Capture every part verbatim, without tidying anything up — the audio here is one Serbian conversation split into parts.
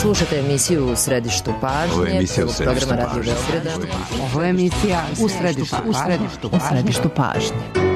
Slušate emisiju U središtu pažnje. Ovo je emisija U središtu programa pažnje. Radio Beograda. Ovo je emisija U središtu, u središtu, u središtu pažnje.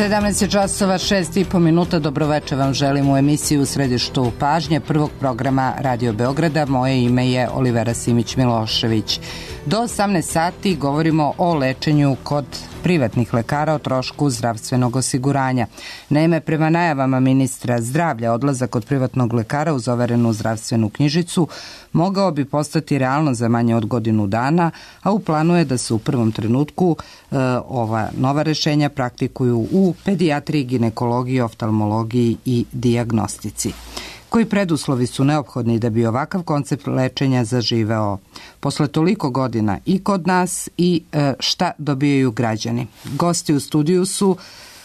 sedamnaest časova šest i po minuta. Dobroveče vam želim u emisiju U središtu pažnje prvog programa Radio Beograda. Moje ime je Olivera Simić-Milošević. Do osamnaest sati govorimo o lečenju kod privatnih lekara o trošku zdravstvenog osiguranja. Naime, prema najavama ministra zdravlja, odlazak kod privatnog lekara uz overenu zdravstvenu knjižicu mogao bi postati realno za manje od godinu dana, a u planu je da se u prvom trenutku e, ova nova rešenja praktikuju u pedijatriji, ginekologiji, oftalmologiji i dijagnostici. Koji preduslovi su neophodni da bi ovakav koncept lečenja zaživeo posle toliko godina i kod nas i e, šta dobijaju građani? Gosti u studiju su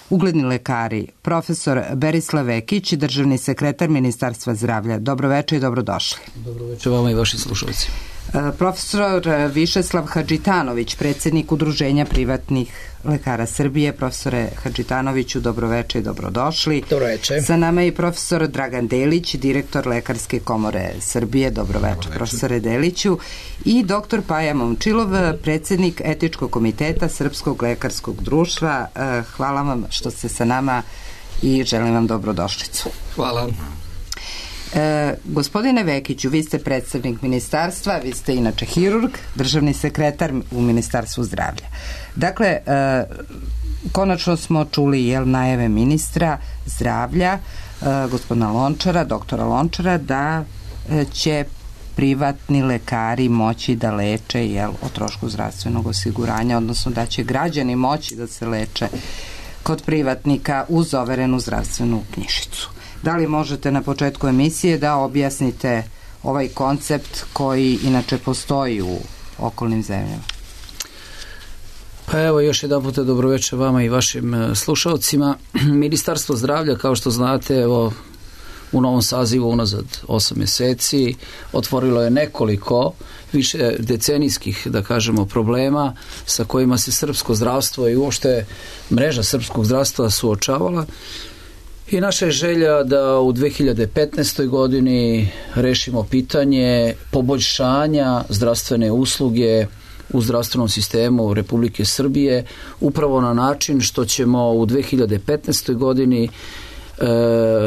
ugledni lekari, profesor Berislav Vekić, državni sekretar Ministarstva zdravlja. Dobroveče i dobrodošli. Dobroveče vama i vašim slušalci. Profesor Višeslav Hadžitanović, predsjednik Udruženja privatnih lekara Srbije. Profesore Hadžitanoviću, dobroveče i dobrodošli. Dobroveče. Sa nama je i profesor Dragan Delić, direktor Lekarske komore Srbije. Dobroveče, dobroveče. Profesore Deliću. I doktor Paja Momčilov, predsjednik Etičkog komiteta Srpskog lekarskog društva. Hvala vam što ste sa nama i želim vam dobrodošlicu. Hvala. E, gospodine Vekiću, vi ste predstavnik ministarstva, vi ste inače hirurg, državni sekretar u Ministarstvu zdravlja. Dakle, e, konačno smo čuli jel, najave ministra zdravlja, e, gospodina Lončara, doktora Lončara, da e, će privatni lekari moći da leče jel, o trošku zdravstvenog osiguranja, odnosno da će građani moći da se leče kod privatnika uz overenu zdravstvenu knjižicu. Da li možete na početku emisije da objasnite ovaj koncept koji inače postoji u okolnim zemljama? Pa evo još jedan puta dobroveče vama i vašim slušalcima. Ministarstvo zdravlja, kao što znate, evo u novom sazivu unazad osam mjeseci otvorilo je nekoliko više decenijskih, da kažemo, problema sa kojima se srpsko zdravstvo i uopšte mreža srpskog zdravstva suočavala. I naša je želja da u dve hiljade petnaestoj godini rešimo pitanje poboljšanja zdravstvene usluge u zdravstvenom sistemu Republike Srbije upravo na način što ćemo u dve hiljade petnaestoj godini e,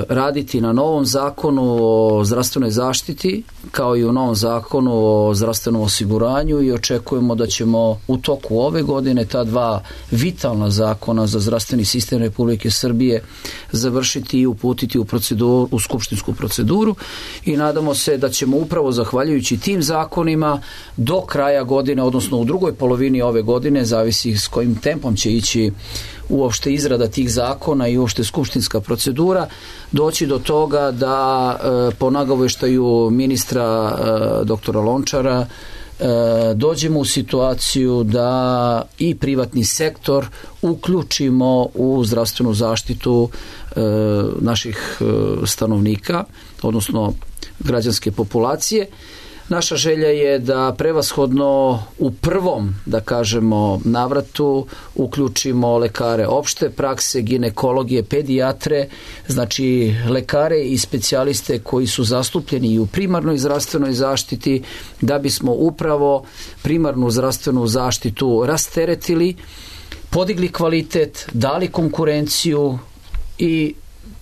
raditi na novom zakonu o zdravstvenoj zaštiti kao i u novom zakonu o zdravstvenom osiguranju i očekujemo da ćemo u toku ove godine ta dva vitalna zakona za zdravstveni sistem Republike Srbije završiti i uputiti u proceduru, u skupštinsku proceduru i nadamo se da ćemo upravo zahvaljujući tim zakonima do kraja godine, odnosno u drugoj polovini ove godine, zavisi s kojim tempom će ići uopšte izrada tih zakona i uopšte skupštinska procedura, doći do toga da e, po nagoveštaju ministra e, doktora Lončara e, dođemo u situaciju da i privatni sektor uključimo u zdravstvenu zaštitu e, naših e, stanovnika, odnosno građanske populacije. Naša želja je da prevashodno u prvom, da kažemo, navratu uključimo lekare opšte prakse, ginekologije, pedijatre, znači lekare i specijaliste koji su zastupljeni i u primarnoj zdravstvenoj zaštiti, da bismo upravo primarnu zdravstvenu zaštitu rasteretili, podigli kvalitet, dali konkurenciju i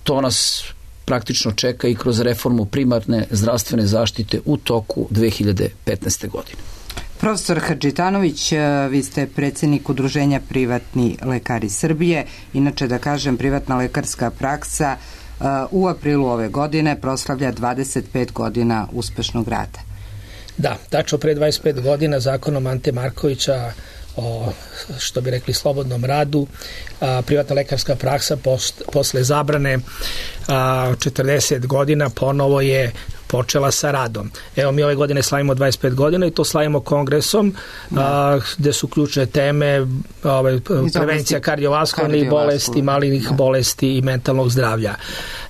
to nas praktično čeka i kroz reformu primarne zdravstvene zaštite u toku dve hiljade petnaeste. godine. Profesor Hadžitanović, vi ste predsjednik Udruženja Privatni lekari Srbije. Inače, da kažem, privatna lekarska praksa u aprilu ove godine proslavlja dvadeset pet godina uspešnog rada. Da, tačno pre dvadeset pet godina zakonom Ante Markovića o, što bi rekli, slobodnom radu, a, privatna lekarska praksa post, posle zabrane a, četrdeset godina ponovo je počela sa radom. Evo, mi ove godine slavimo dvadeset pet godina i to slavimo kongresom, a, gde su ključne teme ove, prevencija kardiovaskularnih bolesti, malignih da. bolesti i mentalnog zdravlja.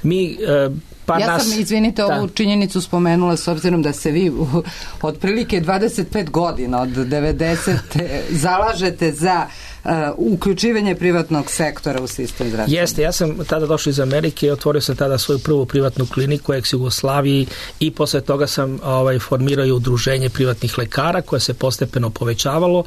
Mi a, Pa ja nas, sam, izvinite, da. ovu činjenicu spomenula s obzirom da se vi u, otprilike dvadeset pet godina od devedesete zalažete za uh, uključivanje privatnog sektora u sistem zdravstva. Jeste, ja sam tada došao iz Amerike i otvorio sam tada svoju prvu privatnu kliniku u ex-Jugoslaviji i posle toga sam ovaj, formirao i udruženje privatnih lekara koje se postepeno povećavalo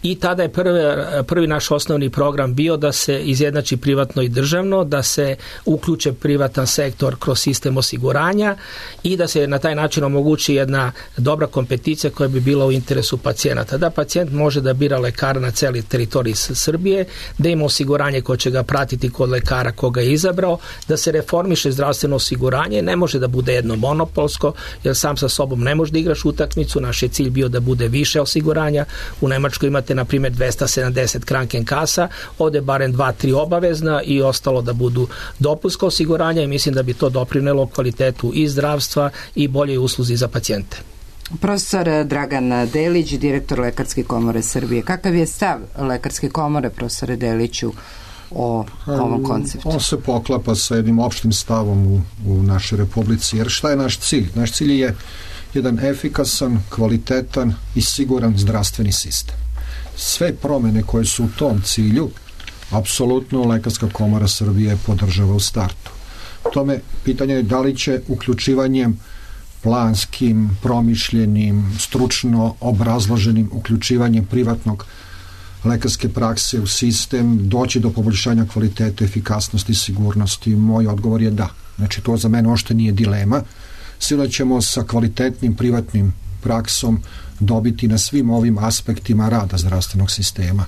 i tada je prvi, prvi naš osnovni program bio da se izjednači privatno i državno, da se uključe privatan sektor kroz sistem osiguranja i da se na taj način omogući jedna dobra kompeticija koja bi bila u interesu pacijenata. Da pacijent može da bira lekara na celi teritoriji Srbije, da ima osiguranje koje će ga pratiti kod lekara koga je izabrao, da se reformiše zdravstveno osiguranje, ne može da bude jedno monopolsko, jer sam sa sobom ne može da igraš utakmicu, naš je cilj bio da bude više osiguranja. U Nemačkoj imate, na primjer, dvesta sedamdeset Krankenkasa, ovde barem dva tri obavezna i ostalo da budu dopunska osiguranja i mislim da bi to doprinelo kvalitetu i zdravstva i boljoj usluzi za pacijente. Profesor Dragan Delić, direktor Lekarske komore Srbije. Kakav je stav Lekarske komore, profesore Deliću, o ovom konceptu? On se poklapa sa jednim opštim stavom u, u našoj republici, jer šta je naš cilj? Naš cilj je jedan efikasan, kvalitetan i siguran zdravstveni sistem. Sve promene koje su u tom cilju, apsolutno Lekarska komora Srbije podržava u startu. Tome pitanje je da li će uključivanjem planskim, promišljenim, stručno obrazloženim uključivanjem privatnog lekarske prakse u sistem doći do poboljšanja kvalitete, efikasnosti i sigurnosti. Moj odgovor je da. Znači, to za mene ošte nije dilema. Sigurno ćemo sa kvalitetnim privatnim praksom dobiti na svim ovim aspektima rada zdravstvenog sistema.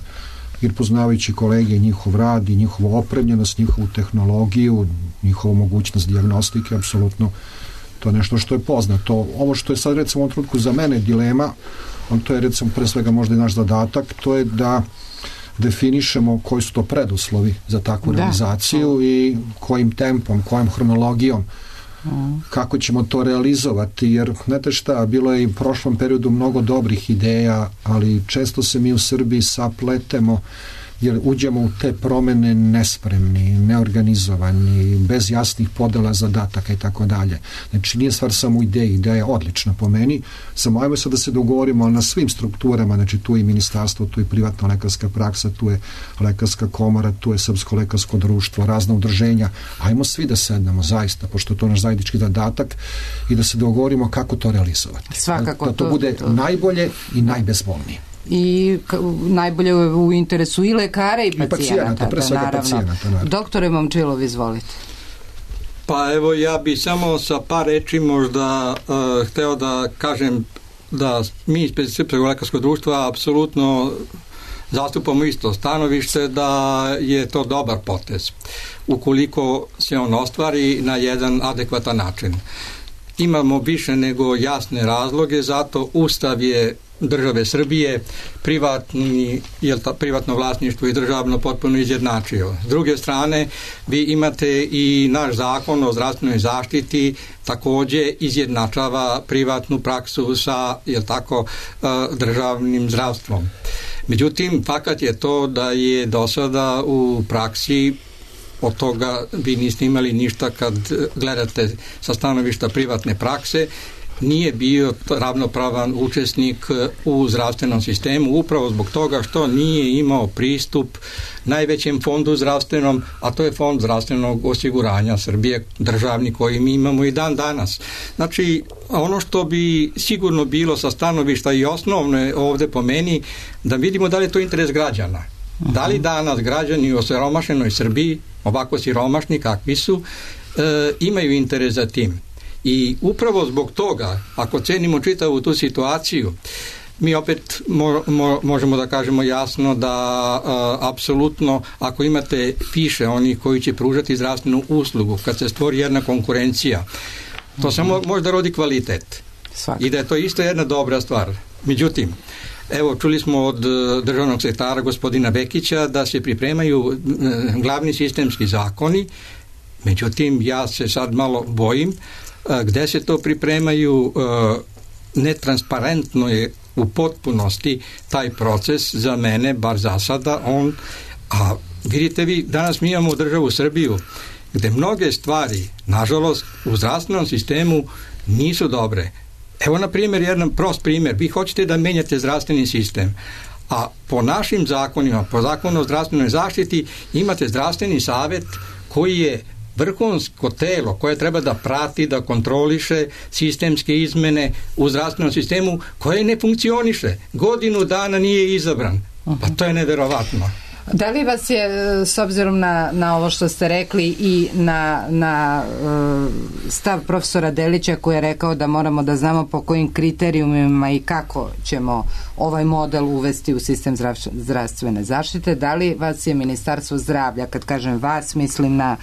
Jer poznavajući kolege i njihov rad i njihovu opremljenost, njihovu tehnologiju, njihovu mogućnost dijagnostike, apsolutno to je nešto što je poznato. Ovo što je sad, recimo, u ovom trenutku za mene dilema, on to je, recimo, pre svega možda i naš zadatak, to je da definišemo koji su to preduslovi za takvu da. realizaciju i kojim tempom, kojom hronologijom, mm. kako ćemo to realizovati, jer znate šta, bilo je i u prošlom periodu mnogo dobrih ideja, ali često se mi u Srbiji sapletemo jer uđemo u te promene nespremni, neorganizovani, bez jasnih podela zadataka i tako dalje. Znači, nije stvar samo u ideji, ideja je odlična po meni, samo ajmo sad da se dogovorimo na svim strukturama, znači tu je ministarstvo, tu je privatna lekarska praksa, tu je Lekarska komora, tu je Srpsko lekarsko društvo, razna udruženja, ajmo svi da sednemo zaista, pošto je to naš zajednički zadatak i da se dogovorimo kako to realizovati. Svakako da to, to bude to. najbolje i najbezbolnije. I najbolje u interesu i lekara i pacijenata. I pacijenata, pre svega pacijenata, naravno. Doktore Momčilov, izvolite. Pa evo, ja bi samo sa par reči možda uh, hteo da kažem da mi iz Srpskog lekarskog društva apsolutno zastupamo isto stanovište da je to dobar potez ukoliko se on ostvari na jedan adekvatan način. Imamo više nego jasne razloge, zato Ustav je države Srbije privatni, jel ta, privatno vlasništvo i državno potpuno izjednačio. S druge strane, vi imate i naš zakon o zdravstvenoj zaštiti takođe izjednačava privatnu praksu sa, jel tako, državnim zdravstvom. Međutim, fakat je to da je do sada u praksi od toga vi niste imali ništa kad gledate sa stanovišta privatne prakse, nije bio ravnopravan učesnik u zdravstvenom sistemu, upravo zbog toga što nije imao pristup najvećem fondu zdravstvenom, a to je Fond zdravstvenog osiguranja Srbije, državni, koji mi imamo i dan danas. Znači, ono što bi sigurno bilo sa stanovišta i osnovno je ovde po meni, da vidimo da li je to interes građana. Uh-huh. Da li danas građani u osiromašenoj Srbiji, ovako siromašni kakvi su, e, imaju interes za tim. I upravo zbog toga, ako cenimo čitavu tu situaciju, mi opet mo, mo, možemo da kažemo jasno da a, apsolutno, ako imate više onih koji će pružati zdravstvenu uslugu, kad se stvori jedna konkurencija, to mm-hmm. samo možda rodi kvalitet. Svaki. I da je to isto jedna dobra stvar. Međutim, evo, čuli smo od državnog sekretara gospodina Bekića da se pripremaju glavni sistemski zakoni, međutim, ja se sad malo bojim gde se to pripremaju, netransparentno je u potpunosti taj proces za mene, bar za sada, on, a vidite vi, danas mi imamo državu Srbiju gde mnoge stvari, nažalost, u zdravstvenom sistemu nisu dobre. Evo, na primjer, jedan prost primjer, vi hoćete da menjate zdravstveni sistem, a po našim zakonima, po zakonu o zdravstvenoj zaštiti, imate zdravstveni savet koji je vrhunsko telo koje treba da prati, da kontroliše sistemske izmene u zdravstvenom sistemu koje ne funkcioniše. Godinu dana nije izabran. Pa to je neverovatno. Da li vas je, s obzirom na, na ovo što ste rekli i na, na uh, stav profesora Delića koji je rekao da moramo da znamo po kojim kriterijumima i kako ćemo ovaj model uvesti u sistem zdravstvene zaštite, da li vas je Ministarstvo zdravlja, kad kažem vas, mislim na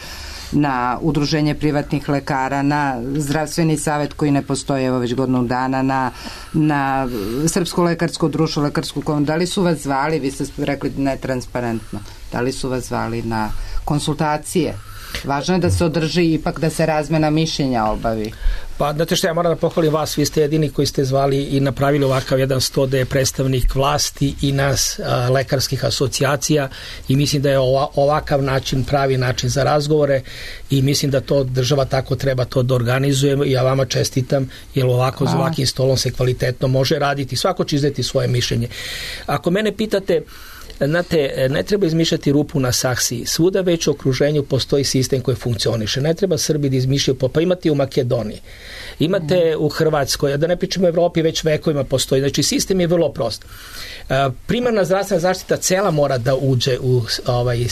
na udruženje privatnih lekara, na zdravstveni savet koji ne postoji evo već godinu dana, na, na Srpsko lekarsko društvo, lekarsku komoru, da li su vas zvali, vi ste rekli netransparentno, da li su vas zvali na konsultacije? Važno je da se održi, ipak da se razmena mišljenja obavi. Pa, znate što, ja moram da pohvalim vas, vi ste jedini koji ste zvali i napravili ovakav jedan sto da je predstavnik vlasti i nas a, lekarskih asocijacija i mislim da je ova, ovakav način pravi način za razgovore i mislim da to država tako treba to da organizujemo i ja vama čestitam, jer ovako za ovakvim stolom se kvalitetno može raditi, svako će izdati svoje mišljenje. Ako mene pitate, znate, ne treba izmišljati rupu na saksiji. Svuda već u okruženju postoji sistem koji funkcioniše. Ne treba Srbi da izmišljaju, pa imate u Makedoniji, imate u Hrvatskoj, da ne pričamo u Evropi, već vekovima postoji. Znači, sistem je vrlo prost. Primarna zdravstvena zaštita cela mora da uđe u ovaj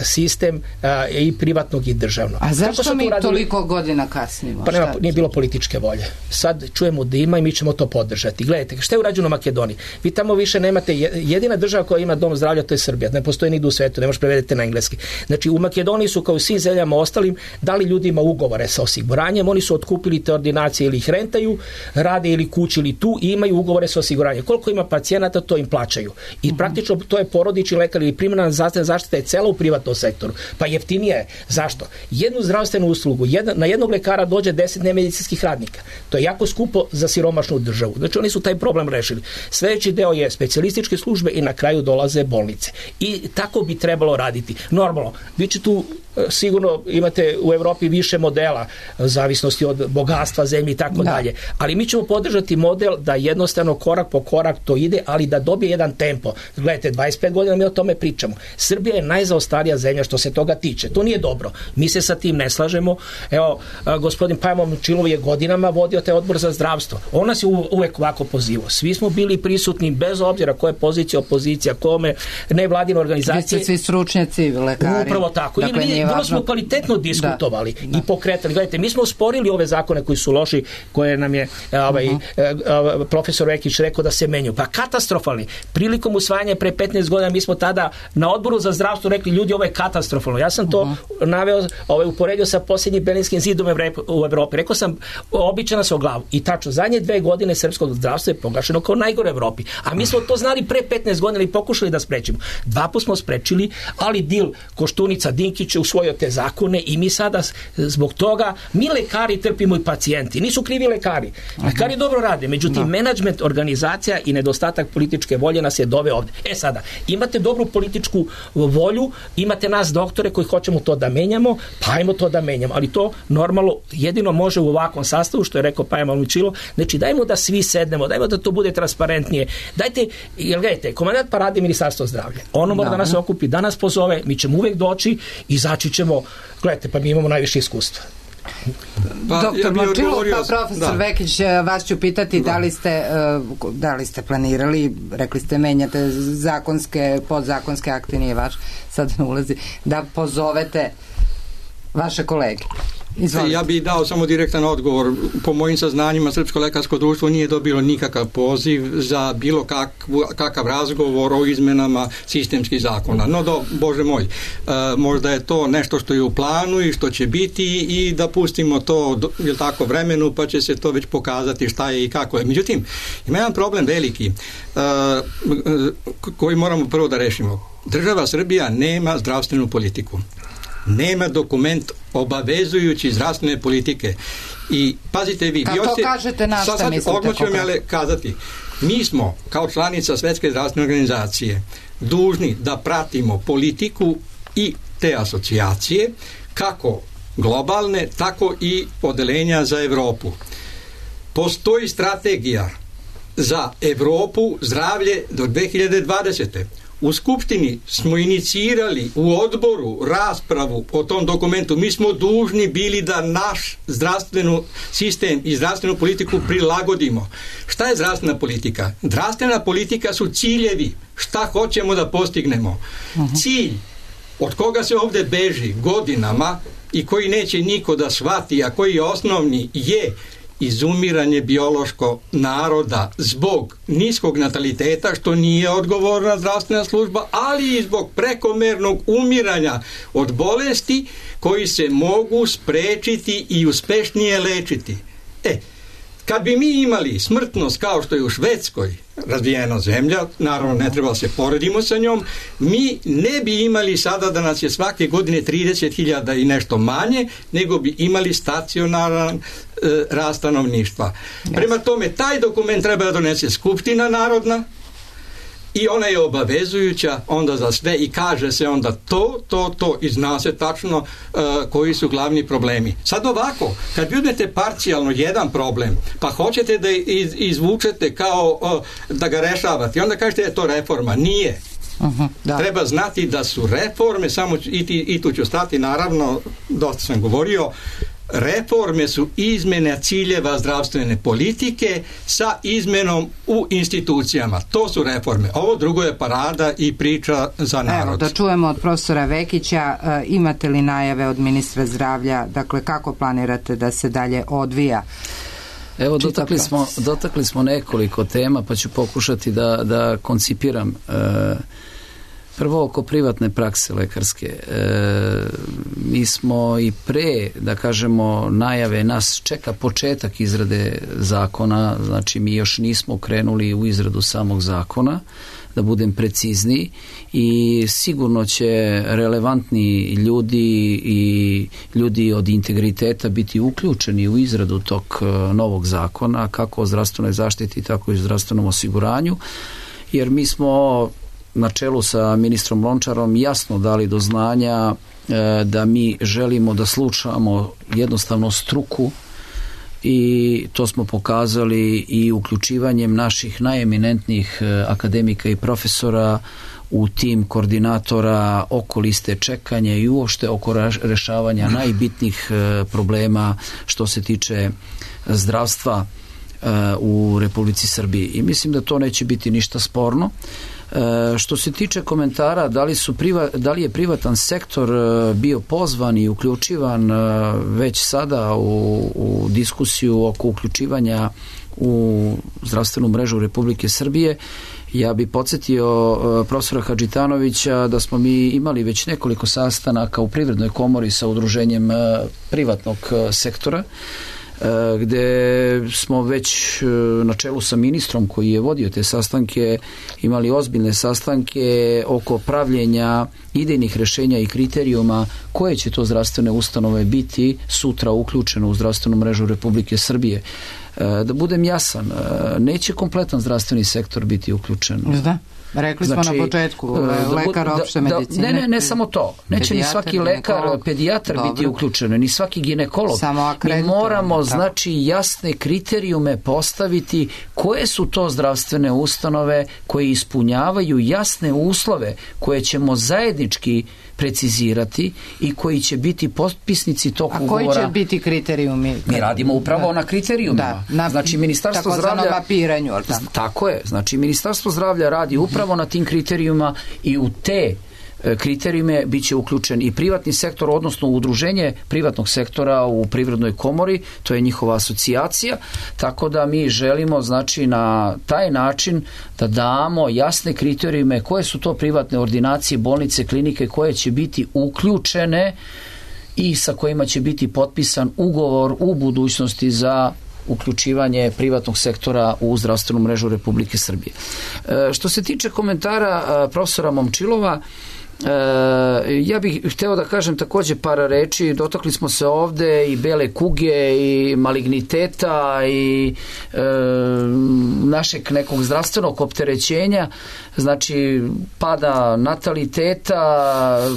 sistem i privatnog i državnog. A zašto mi toliko godina kasnimo? Pa nema, nije bilo političke volje. Sad čujemo da ima i mi ćemo to podržati. Gledajte, šta je urađeno u Makedoniji? Vi tamo više nemate, jedina država koja ima dom zdravlja, to je Srbija. Ne postoji nigde u svetu, ne možeš prevedete na engleski. Znači, u Makedoniji su kao u svim zemljama ostalim dali ljudima ugovore sa osiguranjem, oni su otkupili te ordinacije ili ih rentaju, rade ili kući ili tu i imaju ugovore sa osiguranjem. Koliko ima pacijenata, to im plaćaju. I praktično to je porodični lekar ili primarna zdravstvena zaštita je cela u privatnom sektoru. Pa jeftinije je. Zašto? Jednu zdravstvenu uslugu, jedna, na jednog lekara dođe deset nemedicinskih radnika. To je jako skupo za siromašnu državu. Znači, oni su taj problem rešili. Sljedeći deo je specijalističke službe i na kraju dolaze bolnice. I tako bi trebalo raditi. Normalno, vi će tu sigurno imate u Evropi više modela zavisnosti od bogatstva zemlje i tako dalje. Ali mi ćemo podržati model da jednostavno korak po korak to ide, ali da dobije jedan tempo. Gledajte, dvadeset pet godina mi o tome pričamo. Srbija je najzaostarija zemlja što se toga tiče. To nije dobro. Mi se sa tim ne slažemo. Evo, gospodin Pajmo Momčilov je godinama vodio taj odbor za zdravstvo. On nas je uvek ovako pozivao. Svi smo bili prisutni bez obzira koje pozicija, opozicija, kome, nevladine organizacije. Vi ste svi stručnjaci, lekari. Upravo tako. Dakle, I vrlo smo kvalitetno diskutovali da, da. i pokretali. Gledajte, mi smo sporili ove zakone koji su loši, koje nam je ovaj, uh-huh. profesor Vekić rekao da se menju. Pa katastrofalni. Prilikom usvajanja pre petnaest godina mi smo tada na odboru za zdravstvo rekli, ljudi, ovo je katastrofalno. Ja sam to uh-huh. naveo, ovaj, uporedio sa posljednjim Berlinskim zidom u Evropi. Rekao sam, običana se o glavu. I tačno, zadnje dve godine srpskog zdravstva je proglašeno kao najgore u Evropi. A mi smo to znali pre petnaest godina i pokušali da sprečimo. Dva put smo sprečili, ali dil Koštunica Dinkić u svoj usvojio te zakone i mi sada zbog toga, mi lekari trpimo i pacijenti. Nisu krivi lekari. Lekari Aha. dobro rade, međutim, da. menadžment, organizacija i nedostatak političke volje nas je doveo ovde. E sada, imate dobru političku volju, imate nas doktore koji hoćemo to da menjamo, pa ajmo to da menjamo, ali to normalno jedino može u ovakvom sastavu, što je rekao Paja Malmičilo, znači dajmo da svi sednemo, dajmo da to bude transparentnije. Dajte, jel gledajte, komandant parade Ministarstvo zdravlja. Ono mora da, da nas okupi, da nas pozove, mi ćemo uvek doći, izaći ćemo, gledajte, pa mi imamo najviše iskustva. Pa, Doktor ja Malčilo, pa profesor da. Vekić, vas ću pitati da. da li ste da li ste planirali, rekli ste menjate zakonske, podzakonske akte, nije vaš, sad ne ulazi, da pozovete vaše kolege. Izvolite. Ja bih dao samo direktan odgovor. Po mojim saznanjima Srpsko lekarsko društvo nije dobilo nikakav poziv za bilo kakvu, kakav razgovor o izmenama sistemskih zakona. No, do, Bože moj, e, možda je to nešto što je u planu i što će biti i da pustimo to jel tako, vremenu, pa će se to već pokazati šta je i kako je. Međutim, ima jedan problem veliki e, koji moramo prvo da rešimo. Država Srbija nema zdravstvenu politiku. Nema dokument obavezujući zdravstvene politike. I pazite vi... Kad to ste, kažete, na šta sad, mislite? Odmah ću vam ja kazati. Mi smo, kao članica Svetske zdravstvene organizacije, dužni da pratimo politiku i te asocijacije, kako globalne, tako i odeljenja za Evropu. Postoji strategija za Evropu zdravlje do dve hiljade dvadesete. U Skupštini smo inicirali u odboru raspravu o tom dokumentu. Mi smo dužni bili da naš zdravstveni sistem i zdravstvenu politiku prilagodimo. Šta je zdravstvena politika? Zdravstvena politika su ciljevi. Šta hoćemo da postignemo? Uh-huh. Cilj od koga se ovde beži godinama i koji neće niko da shvati, a koji je osnovni, je izumiranje biološko naroda zbog niskog nataliteta, što nije odgovorna zdravstvena služba, ali i zbog prekomernog umiranja od bolesti koji se mogu sprečiti i uspešnije lečiti. E, kad bi mi imali smrtnost kao što je u Švedskoj, razvijena zemlja, naravno ne treba se poredimo sa njom, mi ne bi imali sada da nas je svake godine trideset hiljada i nešto manje, nego bi imali stacionaran e, rast stanovništva. Yes. Prema tome, taj dokument treba da donese Skupština narodna i ona je obavezujuća onda za sve i kaže se onda to, to, to i zna se tačno uh, koji su glavni problemi. Sad ovako, kad vi uzmete parcijalno jedan problem, pa hoćete da iz, izvučete kao uh, da ga rešavate, onda kažete da je to reforma. Nije. Uh-huh, da. Treba znati da su reforme, samo i, i tu ću stati, naravno, dosta sam govorio, reforme su izmene ciljeva zdravstvene politike sa izmenom u institucijama. To su reforme. Ovo drugo je parada i priča za narod. Evo, da čujemo od profesora Vekića, e, imate li najave od ministra zdravlja, dakle kako planirate da se dalje odvija? Evo, dotakli smo, dotakli smo nekoliko tema, pa ću pokušati da, da koncipiram. E, Prvo, oko privatne prakse lekarske. E, mi smo i pre, da kažemo, najave, nas čeka početak izrade zakona, znači mi još nismo krenuli u izradu samog zakona, da budem precizniji, i sigurno će relevantni ljudi i ljudi od integriteta biti uključeni u izradu tog novog zakona, kako o zdravstvenoj zaštiti, tako i o zdravstvenom osiguranju, jer mi smo na čelu sa ministrom Lončarom jasno dali do znanja e, da mi želimo da slušamo jednostavno struku, i to smo pokazali i uključivanjem naših najeminentnijih e, akademika i profesora u tim koordinatora oko liste čekanja i uopšte oko rešavanja najbitnijih e, problema što se tiče zdravstva e, u Republici Srbiji. I mislim da to neće biti ništa sporno. E, što se tiče komentara da li, su priva, da li je privatan sektor e, bio pozvan i uključivan e, već sada u, u diskusiju oko uključivanja u zdravstvenu mrežu Republike Srbije, ja bi podsjetio e, profesora Hadžitanovića da smo mi imali već nekoliko sastanaka u Privrednoj komori sa udruženjem e, privatnog e, sektora, gde smo već na čelu sa ministrom koji je vodio te sastanke imali ozbiljne sastanke oko pravljenja idejnih rešenja i kriterijuma koje će to zdravstvene ustanove biti sutra uključeno u zdravstvenu mrežu Republike Srbije. Da budem jasan, neće kompletan zdravstveni sektor biti uključen. Da. Rekli smo znači, na početku, lekar opšte medicine. Ne, ne, ne samo to. Neće ni svaki lekar, pedijatar dobro. biti uključen, ni svaki ginekolog. Mi moramo, znači, jasne kriterijume postaviti koje su to zdravstvene ustanove koje ispunjavaju jasne uslove koje ćemo zajednički precizirati i koji će biti potpisnici tog A ugovora. A koji će biti kriterijumi? Mi radimo upravo da. na kriterijumima. Da, na, znači, Ministarstvo zdravlja... Tako mapiranju, ali tako? Tako je. Znači, Ministarstvo zdravlja radi upravo na tim kriterijumima i u te kriterijume bit će uključen i privatni sektor, odnosno udruženje privatnog sektora u Privrednoj komori, to je njihova asocijacija, tako da mi želimo znači na taj način da damo jasne kriterijume koje su to privatne ordinacije, bolnice, klinike koje će biti uključene i sa kojima će biti potpisan ugovor u budućnosti za uključivanje privatnog sektora u zdravstvenu mrežu Republike Srbije. E, što se tiče komentara a, profesora Momčilova, E, ja bih hteo da kažem takođe par reči. Dotakli smo se ovde i bele kuge i maligniteta i e, našeg nekog zdravstvenog opterećenja, znači pada nataliteta,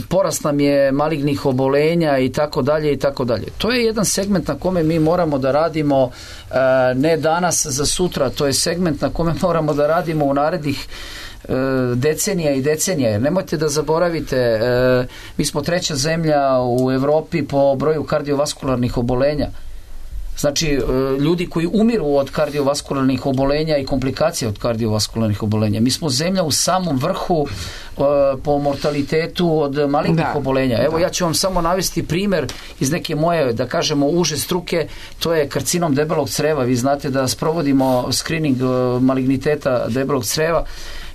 porast nam je malignih obolenja i tako dalje i tako dalje. To je jedan segment na kome mi moramo da radimo e, ne danas za sutra, to je segment na kome moramo da radimo u narednih decenija i decenija, jer nemojte da zaboravite, mi smo treća zemlja u Evropi po broju kardiovaskularnih obolenja. Znači, ljudi koji umiru od kardiovaskularnih obolenja i komplikacija od kardiovaskularnih obolenja. Mi smo zemlja u samom vrhu po mortalitetu od malignih da. obolenja. Evo, da. ja ću vam samo navesti primer iz neke moje, da kažemo, uže struke, to je karcinom debelog creva. Vi znate da sprovodimo screening maligniteta debelog creva.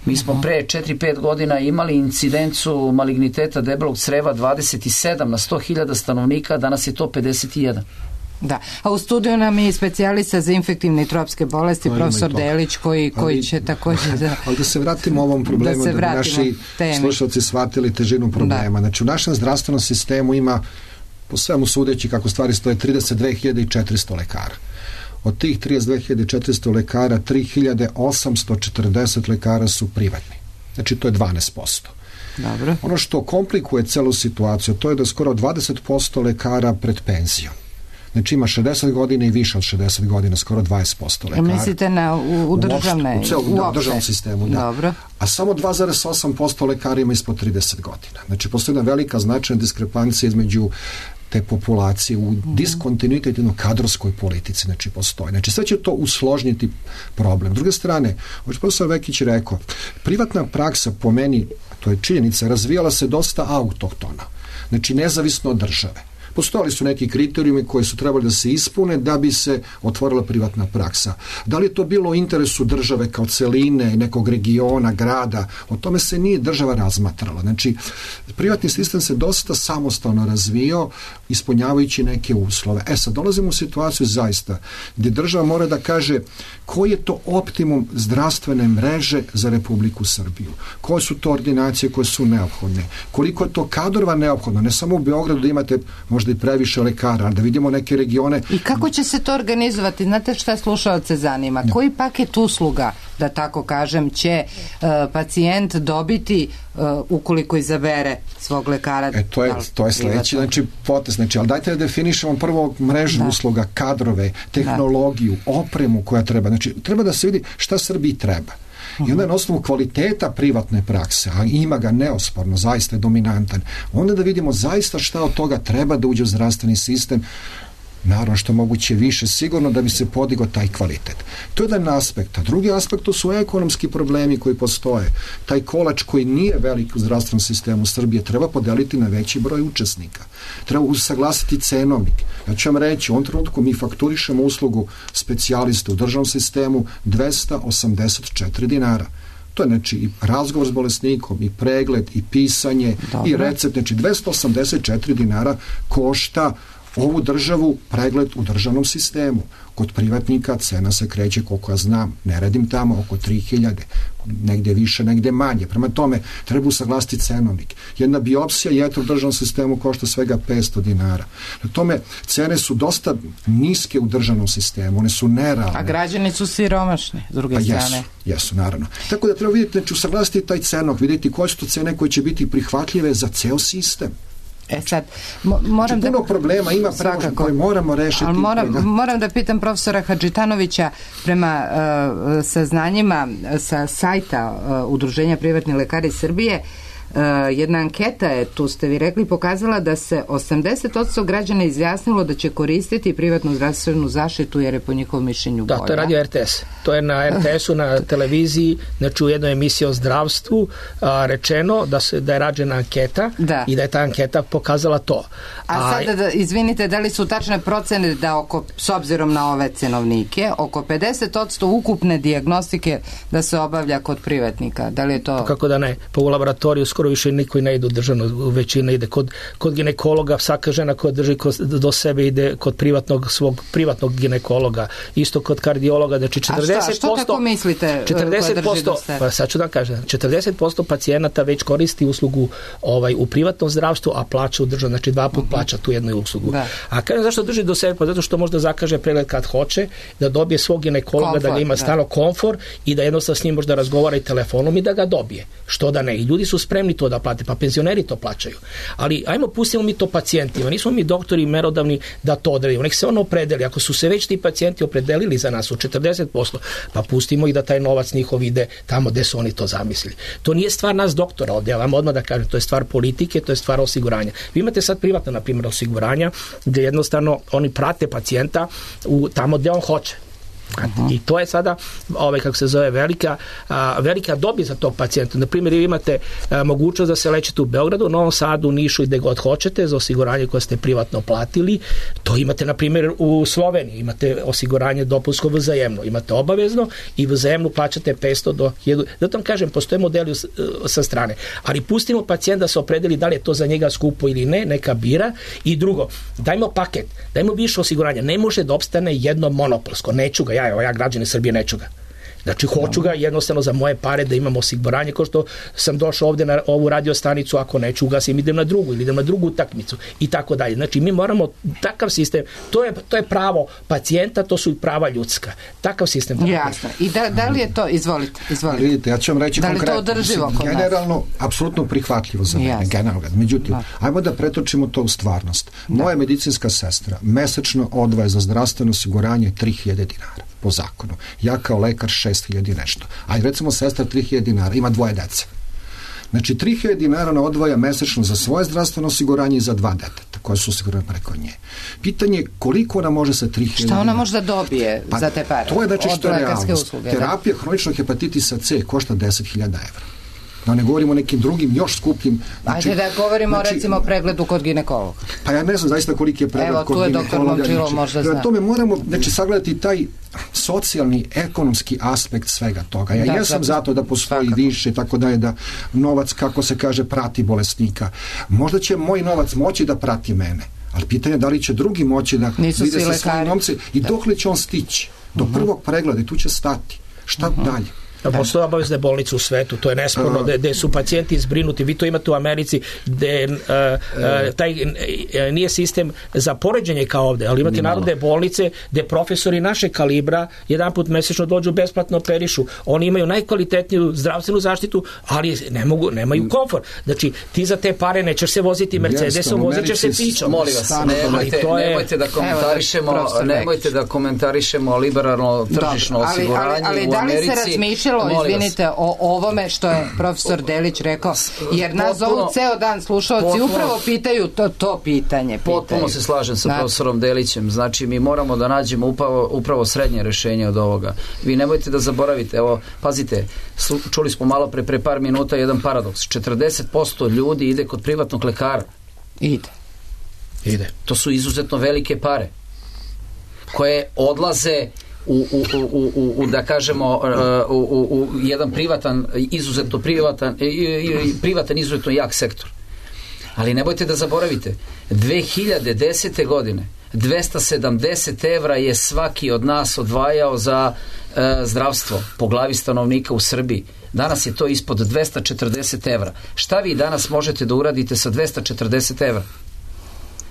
Mi smo pre četiri pet godina imali incidencu maligniteta debelog creva dvadeset sedam na sto hiljada stanovnika, danas je to pedeset jedan. Da, a u studiju nam je specijalista za infektivne i tropske bolesti, ali profesor Delić, koji, koji ali, će također da... Ali da se vratimo ovom problemu, da, da bi naši temi. slušalci shvatili težinu problema. Da. Znači, u našem zdravstvenom sistemu ima, po svemu sudeći kako stvari stoje, trideset dve hiljade četiristo lekara. Od tih trideset dve hiljade četiristo lekara, tri hiljade osamsto četrdeset lekara su privatni. Znači, to je dvanaest posto. Dobro. Ono što komplikuje celu situaciju, to je da skoro dvadeset posto lekara pred penzijom. Znači, ima šezdeset godina i više od šezdeset godina, skoro dvadeset posto lekara. Mislite na u, u državne? U, u, celom, u državnom sistemu, da. Dobro. A samo dva zarez osam posto lekara ima ispod trideset godina. Znači, postoji jedna velika značajna diskrepancija između te populacije u diskontinuitetno kadrovskoj politici, znači postoji. Znači sve će to usložniti problem. S druge strane, ovo što profesor Vekić rekao, privatna praksa po meni, to je činjenica, razvijala se dosta autohtona, znači nezavisno od države. Postojali su neki kriterijumi koji su trebali da se ispune da bi se otvorila privatna praksa. Da li je to bilo u interesu države kao celine, nekog regiona, grada, o tome se nije država razmatrala. Znači, privatni sistem se dosta samostalno razvio, ispunjavajući neke uslove. E sad, dolazimo u situaciju zaista gdje država mora da kaže koji je to optimum zdravstvene mreže za Republiku Srbiju. Koje su to ordinacije koje su neophodne. Koliko je to kadrova neophodno. Ne samo u Beogradu da imate možda i previše lekara, da vidimo neke regione. I kako će se to organizovati? Znate šta slušaoce zanima? Ja. Koji paket usluga, da tako kažem, će uh, pacijent dobiti uh, ukoliko izabere svog lekara? E, to je, to je sledeći, znači, potez. Znači, ali dajte da definišemo prvo mrežu da. usluga, kadrove, tehnologiju, da. opremu koja treba. Znači, treba da se vidi šta Srbiji treba. I onda na osnovu kvaliteta privatne prakse, a ima ga neosporno, zaista je dominantan, onda da vidimo zaista šta od toga treba da uđe u zdravstveni sistem, naravno što moguće više, sigurno da bi se podigao taj kvalitet. To je jedan aspekt. A drugi aspekt to su ekonomski problemi koji postoje. Taj kolač koji nije velik u zdravstvenom sistemu Srbije treba podeliti na veći broj učesnika. Treba usaglasiti cenovnik. Ja ću vam reći, u ovom trenutku mi fakturišemo uslugu specijalista u državnom sistemu dvesta osamdeset četiri dinara. To je znači i razgovor s bolesnikom, i pregled, i pisanje, Dobre. i recept. Znači dvesta osamdeset četiri dinara košta ovu državu pregled u državnom sistemu. Kod privatnika cena se kreće, koliko ja znam, ne radim tamo, oko tri hiljade, negde više, negde manje. Prema tome, treba usaglasiti cenovnik. Jedna biopsija jetra u državnom sistemu košta svega petsto dinara. Na tome, cene su dosta niske u državnom sistemu, one su nerealne. A građani su siromašni, s druge pa strane. Jesu, jesu, naravno. Tako da treba vidjeti, znači usaglasiti taj cenovnik, vidjeti koje su to cene koje će biti prihvatljive za ceo sistem. E sad, mo, moram znači, puno da... problema ima premožno koje moramo rešiti. Ali moram, da... moram da pitam profesora Hadžitanovića, prema uh, saznanjima sa sajta uh, Udruženja privatnih lekara iz Srbije, Uh, jedna anketa je, tu ste vi rekli, pokazala da se osamdeset posto građana izjasnilo da će koristiti privatnu zdravstvenu zaštitu jer je po njihovom mišljenju bolja. Da, to je radio R T S. To je na R T S-u, na televiziji, znači u jednoj emisiji o zdravstvu a, rečeno da, se, da je rađena anketa da. I da je ta anketa pokazala to. A, A sada, da, izvinite, da li su tačne procene da oko, s obzirom na ove cenovnike, oko pedeset posto ukupne dijagnostike da se obavlja kod privatnika? Da li je to... Kako da ne? Pa u laboratoriju skoro više niko i ne ide u državnu, većina ide kod, kod ginekologa, svaka žena koja drži kod, do sebe ide kod privatnog, svog privatnog ginekologa, isto kod kardiologa, znači četrdeset posto... A šta, što tako mislite četrdeset posto, koja drži do sebe? Pa sad ću da kažem, četrdeset posto pacijenata već koristi uslugu ovaj, u privatnom zdravstvu, a plaća u državu, znači dva put uh-huh. plaća tu jednu uslugu. Da. A kažem zašto drži do sebe? Pa zato što možda zakaže pregled kad hoće, da dobije svog ginekologa, komfort, da ga ima da. Stano komfor i da jednostavno s njim možda razgovara i telefonom i da ga dobije. Što da ne? I ljudi su spremni to da plate, pa penzioneri to plaćaju. Ali ajmo pustimo mi to pacijentima, nismo mi doktori merodavni da to odredimo, nek se ono opredeli, ako su se već ti pacijenti opredelili za nas u četrdeset posto, pa pustimo i da taj novac njihov ide tamo gde su oni to zamislili. To nije stvar nas doktora ovdje, ja vam odmah da kažem, to je stvar politike, to je stvar osiguranja. Vi imate sad privatno, na primjer, osiguranja, gde jednostavno oni prate pacijenta u tamo gde on hoće. Uh-huh. I to je sada, ovaj, kako se zove, velika, a, velika dobit za tog pacijenta. Na primjer, vi imate a, mogućnost da se lečite u Beogradu, u Novom Sadu, u Nišu i gde god hoćete za osiguranje koje ste privatno platili. To imate, na primjer, u Sloveniji. Imate osiguranje dopunsko vzajemno. Imate obavezno i vzajemno plaćate petsto do hiljadu. Zato vam kažem, postoje modeli sa strane. Ali pustimo pacijent da se opredeli da li je to za njega skupo ili ne, neka bira. I drugo, dajmo paket, dajmo više osiguranja. Ne može da opstane jedno monopolsko. Neću ga ja, evo ja građani Srbije neću ga. Znači, hoću ga jednostavno za moje pare da imam osiguranje, kao što sam došao ovde na ovu radiostanicu, ako neću ugasim, idem na drugu ili idem na drugu utakmicu i tako dalje. Znači, mi moramo takav sistem, to je, to je pravo pacijenta, to su i prava ljudska. Takav sistem. Jasno. I da, da li je to, izvolite, izvolite. Vidite, ja ću vam reći da konkretno. Da li to održivo kod nas? Generalno, apsolutno prihvatljivo za mene, generalno. Međutim, da. ajmo da pretočimo to u stvarnost. Moja da. medicinska sestra mesečno odvaja za zdravstveno osiguranje tri hiljade dinara. Po zakonu. Ja kao lekar šest hiljada nešto. A recimo sestra tri hiljade dinara, ima dvoje dece. Znači tri hiljade dinara ona odvaja mesečno za svoje zdravstveno osiguranje i za dva deteta koje su osigurane preko nje. Pitanje je koliko ona može sa tri hiljade Šta ona može da dobije pa, za te pare? To je znači što je realnost. Terapija da? hroničnog hepatitisa C košta deset hiljada evra. Da ne govorimo o nekim drugim, još skupljim. Znači, Ajde da govorimo znači, recimo o pregledu kod ginekologa. Pa ja ne znam zaista koliki je pregled Evo, kod ginekologa. Evo, tu je doktor Momčilo, možda zna. Tome moramo znači, sagledati taj socijalni, ekonomski aspekt svega toga. Ja da, jesam zato, zato da postoji svakako. više, tako da je da novac, kako se kaže, prati bolesnika. Možda će moj novac moći da prati mene, ali pitanje je da li će drugi moći da Nisu vide sa lekari. svojim novce i da. dokle će on stići. Do uh-huh. prvog pregleda i tu će stati. Šta uh-huh. dalje? Postoje obavezne bolnice u svetu, to je nesporno, gde su pacijenti zbrinuti. Vi to imate u Americi, gde uh, uh, taj uh, nije sistem za poređenje kao ovde, ali imate narodne bolnice gde profesori naše kalibra jedan put mesečno dođu besplatno operišu. Oni imaju najkvalitetniju zdravstvenu zaštitu, ali ne mogu, nemaju komfor. Znači, ti za te pare nećeš se voziti Mercedesom, vozit ćeš se pičom. Molim vas, nemojte, je... nemojte da komentarišemo, Evo, nemojte da komentarišemo liberalno tržišno ali, osiguranje ali, ali, u Americi. Da li se razmišljalo, izvinite, o ovome što je profesor Delić rekao, jer nas zovu ceo dan slušalci, upravo pitaju to, to pitanje. Pitaju. Potpuno se slažem sa profesorom Delićem. Znači, mi moramo da nađemo upravo, upravo srednje rešenje od ovoga. Vi nemojte da zaboravite, evo, pazite, čuli smo malo pre, pre par minuta jedan paradoks. četrdeset posto ljudi ide kod privatnog lekara. Ide. Ide. To su izuzetno velike pare koje odlaze U, u, u, u, u, da kažemo u, u, u jedan privatan, izuzetno privatan, privatan izuzetno jak sektor. Ali nemojte da zaboravite, dve hiljade desete. godine dvesta sedamdeset evra je svaki od nas odvajao za e, zdravstvo po glavi stanovnika u Srbiji. Danas je to ispod dvesta četrdeset evra. Šta vi danas možete da uradite sa dvesta četrdeset evra?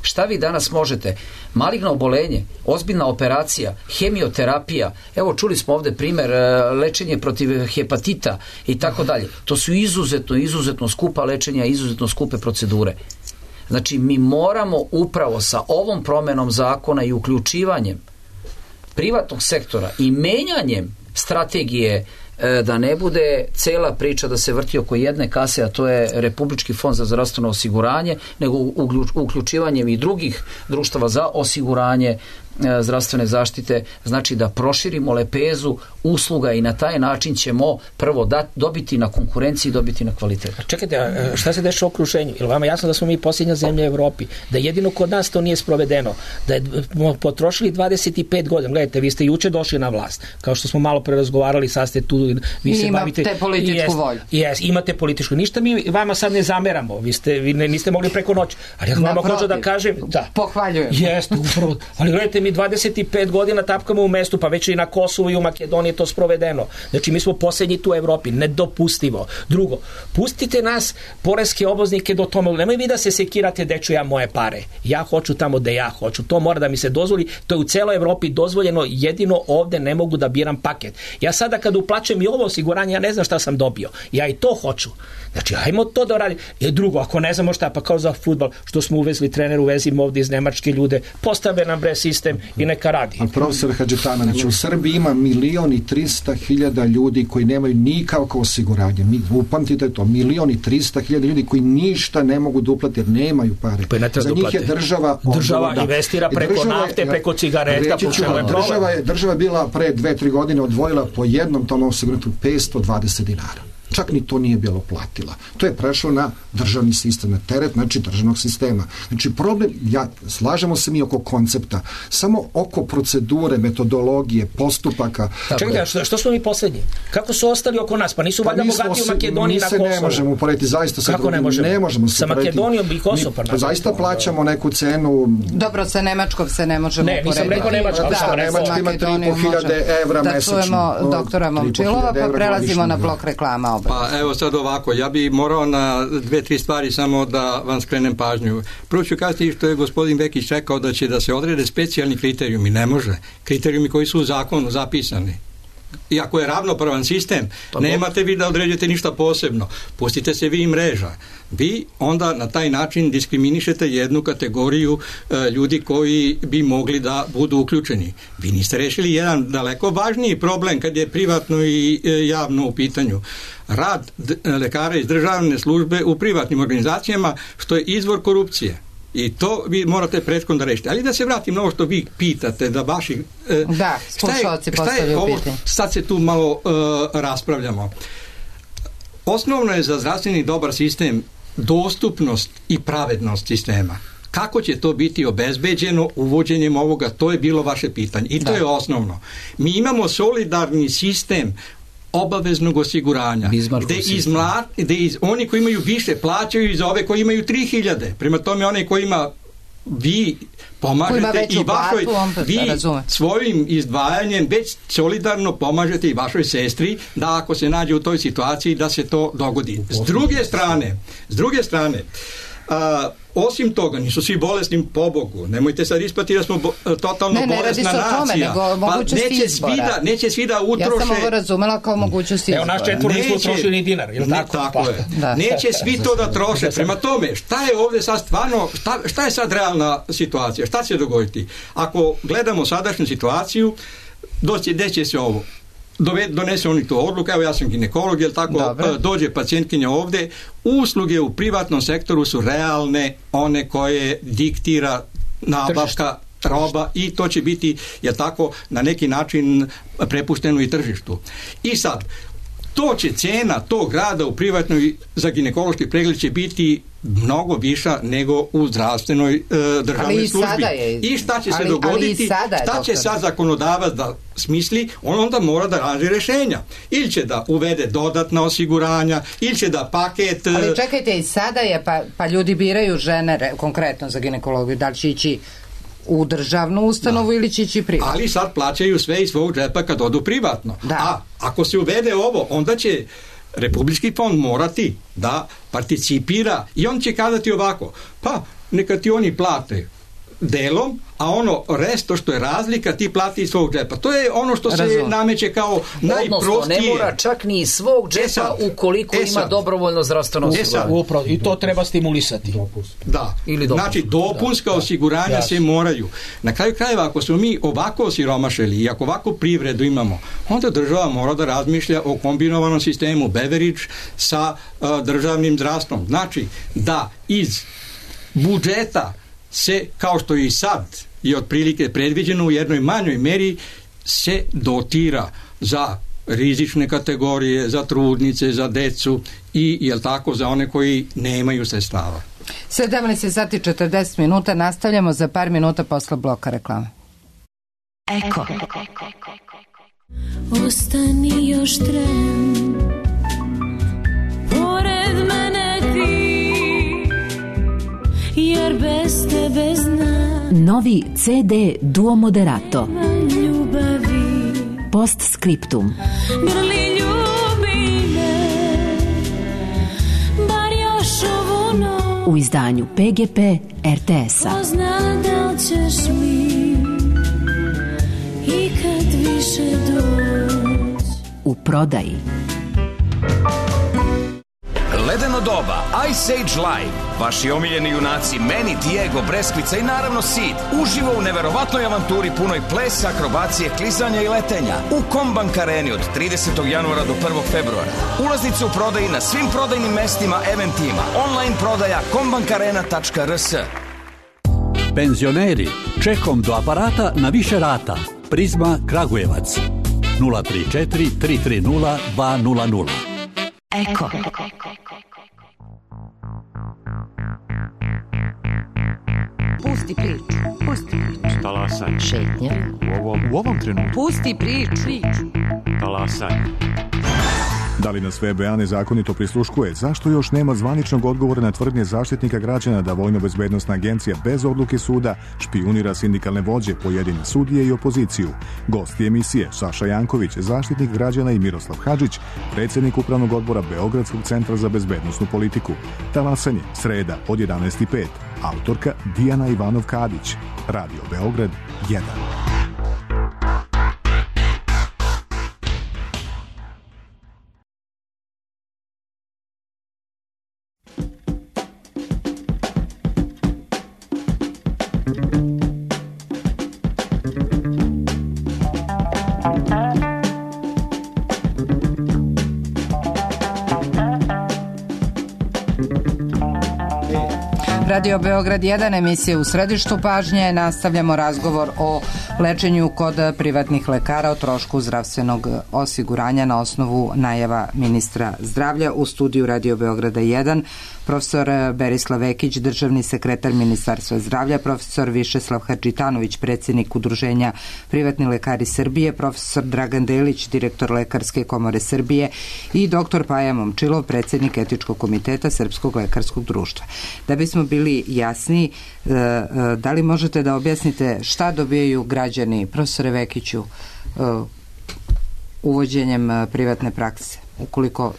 Šta vi danas možete? Maligno obolenje, ozbiljna operacija, hemioterapija, evo čuli smo ovde primer lečenje protiv hepatita i tako dalje. To su izuzetno, izuzetno skupa lečenja, izuzetno skupe procedure. Znači, mi moramo upravo sa ovom promenom zakona i uključivanjem privatnog sektora i menjanjem strategije da ne bude cela priča da se vrti oko jedne kase, a to je Republički fond za zdravstveno osiguranje, nego uključivanjem i drugih društava za osiguranje zdravstvene zaštite, znači da proširimo lepezu usluga i na taj način ćemo prvo da, dobiti na konkurenciji, dobiti na kvalitetu. Čekajte, šta se dešava u okruženju? Je li vama jasno da smo mi posljednja zemlja u Evropi? Da jedino kod nas to nije sprovedeno? Da je potrošili dvadeset pet godina. Gledajte, vi ste juče došli na vlast. Kao što smo malo pre razgovarali, sad ste tu, vi se bavite... Imate političku jest, volju. Jes, imate političku. Ništa mi vama sad ne zameramo. Vi, ste, vi ne, niste mogli preko noći. Ali ja vama hoću da kažem... Da. Pohvaljujem. Jeste, upravo. Ali gledajte, mi dvadeset pet godina tapkamo u mestu, pa već i na Kosovu i u Makedoniji to sprovedeno. Znači, mi smo posljednji tu u Evropi. Nedopustivo. Drugo, pustite nas, poreske obveznike, do tome. Nemoj vi da se sekirate da ću ja moje pare. Ja hoću tamo da ja hoću. To mora da mi se dozvoli. To je u celoj Evropi dozvoljeno. Jedino ovde ne mogu da biram paket. Ja sada kad uplaćujem i ovo osiguranje, ja ne znam šta sam dobio. Ja i to hoću. Znači, ajmo to da radi. I drugo, ako ne znamo šta, pa kao za fudbal, što smo uvezli trener, uvezimo ovdje iz Nemačke ljude, postave nam bre sistem i neka radi. A profesor Hadžetanović, u Srbiji ima milion i trista hiljada ljudi koji nemaju nikakvo osiguranje. Mi upamtite to, milion i trista hiljada ljudi koji ništa ne mogu da uplate jer nemaju pare. Pa za njih je država država odvoda. Investira preko država, nafte, preko cigareta, po čemu je država je država bila pre dve, tri godine odvojila po jednom tom osiguranju petsto dvadeset dinara. Čak ni to nije bilo platila. To je prešlo na državni sistem, na teret, znači državnog sistema. Znači problem, ja, slažemo se mi oko koncepta, samo oko procedure, metodologije, postupaka. Čekaj, što, što smo mi posljednji? Kako su ostali oko nas? Pa nisu valjda pa bogati u Makedoniji na Kosovu? Mi se ne možemo uporediti zaista sa Kako ne možemo? Ne možemo se sa Makedonijom i Kosovo. Mi pa zaista plaćamo neku cenu. Dobro, sa Nemačkom se ne možemo ne, uporediti. Ne, nisam rekao Nemačka. Da, da, Nemačka ima tri i po hiljade evra da mesečno. Da čujemo doktora Momčilova, pa prelazimo na blok reklama. Pa evo sad ovako, ja bi morao na dve, tri stvari samo da vam skrenem pažnju. Prvo ću kazati što je gospodin Vekić rekao da će da se odrede specijalni kriterijumi. Ne može. Kriterijumi koji su u zakonu zapisani. Iako je ravnopravan sistem, pa nemate vi da određujete ništa posebno. Pustite se vi i mreža. Vi onda na taj način diskriminišete jednu kategoriju e, ljudi koji bi mogli da budu uključeni. Vi niste rešili jedan daleko važniji problem kad je privatno i e, javno u pitanju. Rad d- lekara iz državne službe u privatnim organizacijama, što je izvor korupcije. I to vi morate prethodno da rešite. Ali da se vratim na ovo što vi pitate, da vaši... E, da, slušalci postavljaju pitanje. Sad se tu malo e, raspravljamo. Osnovno je za zdravstveni dobar sistem dostupnost i pravednost sistema. Kako će to biti obezbeđeno uvođenjem ovoga? To je bilo vaše pitanje. I to da. je osnovno. Mi imamo solidarni sistem obaveznog osiguranja, gde, iz mla, gde iz, oni koji imaju više plaćaju i za ove koji imaju tri hiljade. Prema tome, onaj koji ima vi pomažete i vašoj, vi svojim izdvajanjem već solidarno pomažete i vašoj sestri da ako se nađe u toj situaciji da se to dogodi. S druge strane, s druge strane, a, osim toga, nisu svi bolesni po Bogu. Nemojte sad ispati da smo bo, totalno ne, ne, bolesna nacija. Pa neće svi, da, neće svi da utroše... Ja sam ovo razumela kao mogućnost izbora. Evo, naš četvor nismo trošili ni dinar, je li ne, tako? Tako pa. je. Da. Neće svi to da troše. Prema tome, šta je ovdje sad stvarno, šta, šta je sad realna situacija? Šta će se dogoditi? Ako gledamo sadašnju situaciju, doći, deće se ovo. Donese oni to odluku, evo ja sam ginekolog, jel tako, Dobre. dođe pacijentkinja ovdje, usluge u privatnom sektoru su realne, one koje diktira nabavka roba i to će biti, jel tako, na neki način prepušteno i tržištu. I sad, to će cena tog rada u privatnoj za ginekološki pregled će biti mnogo viša nego u zdravstvenoj e, državnoj ali službi. Je, I šta će ali, se dogoditi? Sada šta će sad zakonodavac da smisli? On onda mora da nađe rešenja. Ili će da uvede dodatna osiguranja, ili će da paket... Ali čekajte, i sada je, pa, pa ljudi biraju žene konkretno za ginekologiju, da li će ići u državnu ustanovu da. Ili će ići privatno. Ali sad plaćaju sve iz svog džepa kad odu privatno. Da. A ako se uvede ovo, onda će Republički fond morati da participira i on će kazati ovako, pa neka ti oni plate delom, a ono resto što je razlika ti plati iz svog džepa. To je ono što se Razum. nameće kao najprostije. Odnosno, ne mora čak ni iz svog džepa Esad. ukoliko Esad. ima dobrovoljno zdravstveno osiguranje. I to treba stimulisati. Da. Ili znači, dopunska da. osiguranja da. se moraju. Na kraju krajeva, ako smo mi ovako osiromašili i ako ovako privredu imamo, onda država mora da razmišlja o kombinovanom sistemu Beveridge sa uh, državnim zdravstvom. Znači, da iz budžeta se, kao što i sad je otprilike predviđeno u jednoj manjoj meri, se dotira za rizične kategorije, za trudnice, za decu i, jel tako, za one koji nemaju sredstava. sedamnaest sati četrdeset minuta, nastavljamo za par minuta posle bloka reklame. Eko. Ostani još tren, pored mene ti, jer bez tebe znam. Novi ce de Duo Moderato. Ljubavi. Postscriptum. Grli ljubi me, bar još ovu noć. U izdanju pe ge pe er te es-a. Ko zna da li ćeš mi ikad više doći. U prodaji. Ledeno doba, Ice Age Live, vaši omiljeni junaci Manny, Diego, Breskvica i naravno Sid, uživo u neverovatnoj avanturi punoj plesa, akrobacije, klizanja i letenja u Kombank Areni od tridesetog januara do prvog februara. Ulaznice u prodaji na svim prodajnim mestima, eventima, online prodaja kombankarena tačka er es. Penzioneri, čekom do aparata na više rata. Prizma Kragujevac nula tri četiri tri tri nula dva nula nula. Eko. Pusti priču, pusti priču. Talasanje. Šetnja. U ovom, u ovom trenutku. Pusti priču. Talasanje. Da li nas V B A nezakonito prisluškuje? Zašto još nema zvaničnog odgovora na tvrdnje Zaštitnika građana da Vojno-bezbednosna agencija bez odluke suda špijunira sindikalne vođe, pojedine sudije i opoziciju? Gosti emisije Saša Janković, Zaštitnik građana, i Miroslav Hadžić, predsjednik Upravnog odbora Beogradskog centra za bezbednosnu politiku. Talasanje, sreda od jedanaest i pet. Autorka Dijana Ivanov-Kadić. Radio Beograd jedan. Radio Beograd jedan, emisija u središtu pažnje. Nastavljamo razgovor o lečenju kod privatnih lekara, o trošku zdravstvenog osiguranja na osnovu najava ministra zdravlja. U studiju Radio Beograda jedan profesor Berislav Vekić, državni sekretar Ministarstva zdravlja, profesor Višeslav Hadžitanović, predsjednik Udruženja Privatni lekari Srbije, profesor Dragan Delić, direktor Lekarske komore Srbije i doktor Paja Momčilov, predsjednik Etičkog komiteta Srpskog lekarskog društva. Da bismo bili jasni, da li možete da objasnite šta dobijaju građani, profesore Vekiću, uvođenjem privatne prakse, ukoliko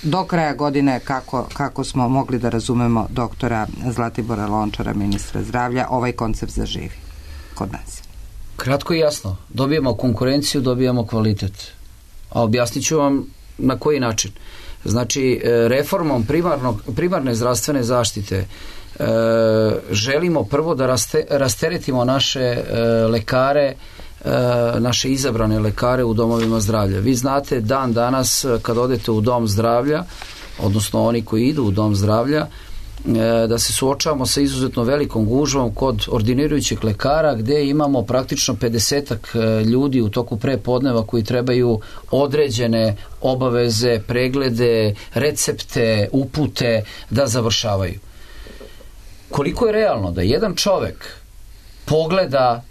do kraja godine, kako, kako smo mogli da razumemo doktora Zlatibora Lončara, ministra zdravlja, ovaj koncept zaživi kod nas? Kratko i jasno. Dobijemo konkurenciju, dobijamo kvalitet. A objasnit ću vam na koji način. Znači, reformom primarnog, primarne zdravstvene zaštite e, želimo prvo da raste, rasteretimo naše e, lekare, naše izabrane lekare u domovima zdravlja. Vi znate, dan danas kad odete u dom zdravlja, odnosno oni koji idu u dom zdravlja, da se suočavamo sa izuzetno velikom gužvom kod ordinirajućih lekara, gde imamo praktično pedesetak ljudi u toku prepodneva koji trebaju određene obaveze, preglede, recepte, upute da završavaju. Koliko je realno da jedan čovek pogleda,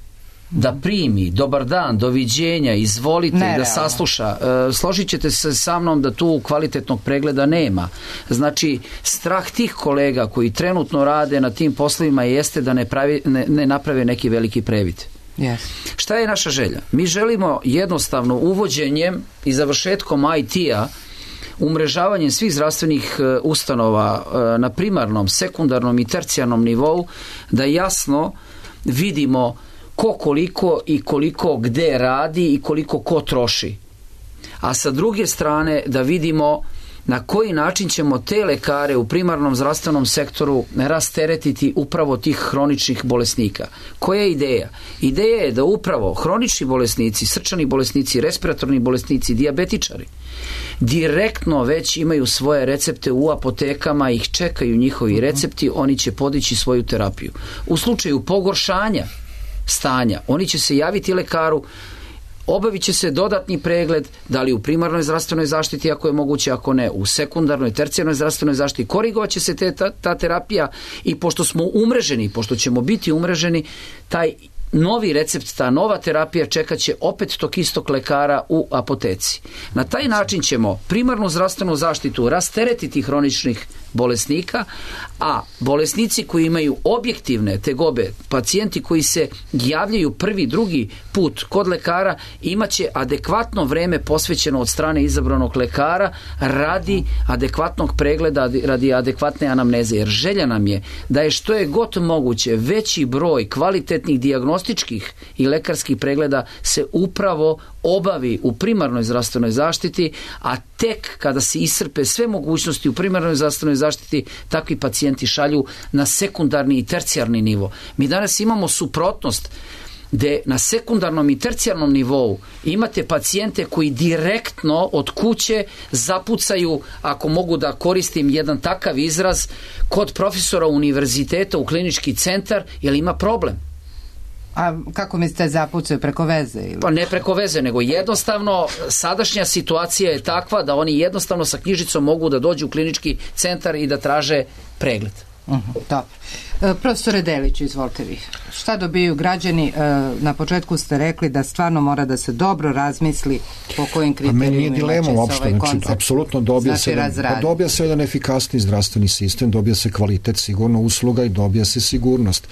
da primi, dobar dan, doviđenja, izvolite, ne, da sasluša. E, složit ćete se sa mnom da tu kvalitetnog pregleda nema. Znači, strah tih kolega koji trenutno rade na tim poslovima jeste da ne, pravi, ne, ne naprave neki veliki previd. Yes. Šta je naša želja? Mi želimo jednostavno uvođenjem i završetkom I T-a, umrežavanjem svih zdravstvenih ustanova na primarnom, sekundarnom i tercijarnom nivou, da jasno vidimo ko koliko i koliko gde radi i koliko ko troši. A sa druge strane da vidimo na koji način ćemo te lekare u primarnom zdravstvenom sektoru rasteretiti upravo tih hroničnih bolesnika. Koja je ideja? Ideja je da upravo hronični bolesnici, srčani bolesnici, respiratorni bolesnici, dijabetičari direktno već imaju svoje recepte u apotekama, ih čekaju njihovi recepti, oni će podići svoju terapiju. U slučaju pogoršanja stanja, oni će se javiti lekaru, obavit će se dodatni pregled, da li u primarnoj zdravstvenoj zaštiti ako je moguće, ako ne, u sekundarnoj, tercijarnoj zdravstvenoj zaštiti, korigovat će se te, ta, ta terapija i pošto smo umreženi, pošto ćemo biti umreženi, taj novi recept, ta nova terapija čekat će opet tog istog lekara u apoteci. Na taj način ćemo primarnu zdravstvenu zaštitu rasteretiti hroničnih bolesnika, a bolesnici koji imaju objektivne tegobe, pacijenti koji se javljaju prvi, drugi put kod lekara, imaće adekvatno vreme posvećeno od strane izabranog lekara radi adekvatnog pregleda, radi adekvatne anamneze, jer želja nam je da je što je god moguće veći broj kvalitetnih dijagnostičkih i lekarskih pregleda se upravo obavi u primarnoj zdravstvenoj zaštiti, a tek kada se iscrpe sve mogućnosti u primarnoj zdravstvenoj zaštiti, takvi pacijenti šalju na sekundarni i tercijarni nivo. Mi danas imamo suprotnost gde na sekundarnom i tercijarnom nivou imate pacijente koji direktno od kuće zapucaju, ako mogu da koristim jedan takav izraz, kod profesora univerziteta u klinički centar, jer ima problem. A kako mislite zapucaju, preko veze? Ili? Pa ne preko veze, nego jednostavno sadašnja situacija je takva da oni jednostavno sa knjižicom mogu da dođu u klinički centar i da traže pregled. Uh-huh, dobro. E, profesore Deliću, izvolite vi. Šta dobiju građani? E, na početku ste rekli da stvarno mora da se dobro razmisli po kojim kriterijima. A meni je dilema uopšte, ovaj znači, apsolutno dobija, znači, se jedan, dobija se jedan efikasni zdravstveni sistem, dobija se kvalitet sigurno usluga i dobija se sigurnost.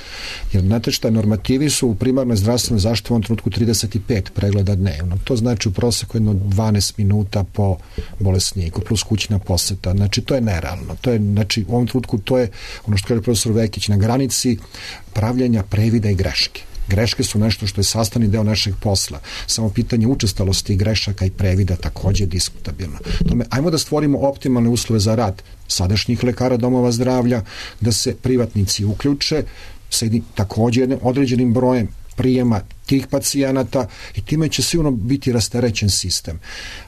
Jer znate šta, normativi su u primarnoj zdravstvenoj zaštiti u ovom trenutku trideset pet pregleda dnevno. To znači u proseku jedno dvanaest minuta po bolesniku, plus kućna poseta. Znači, to je nerealno. To je, znači, u ovom trenutku to je ono što kaže profesor Vekić, na granici pravljenja previda i greške. Greške su nešto što je sastavni deo našeg posla. Samo pitanje učestalosti grešaka i previda takođe je diskutabilno. Tome, ajmo da stvorimo optimalne uslove za rad sadašnjih lekara domova zdravlja, da se privatnici uključe sa takođe jednim određenim brojem prijema tih pacijenata i time će sigurno biti rasterećen sistem.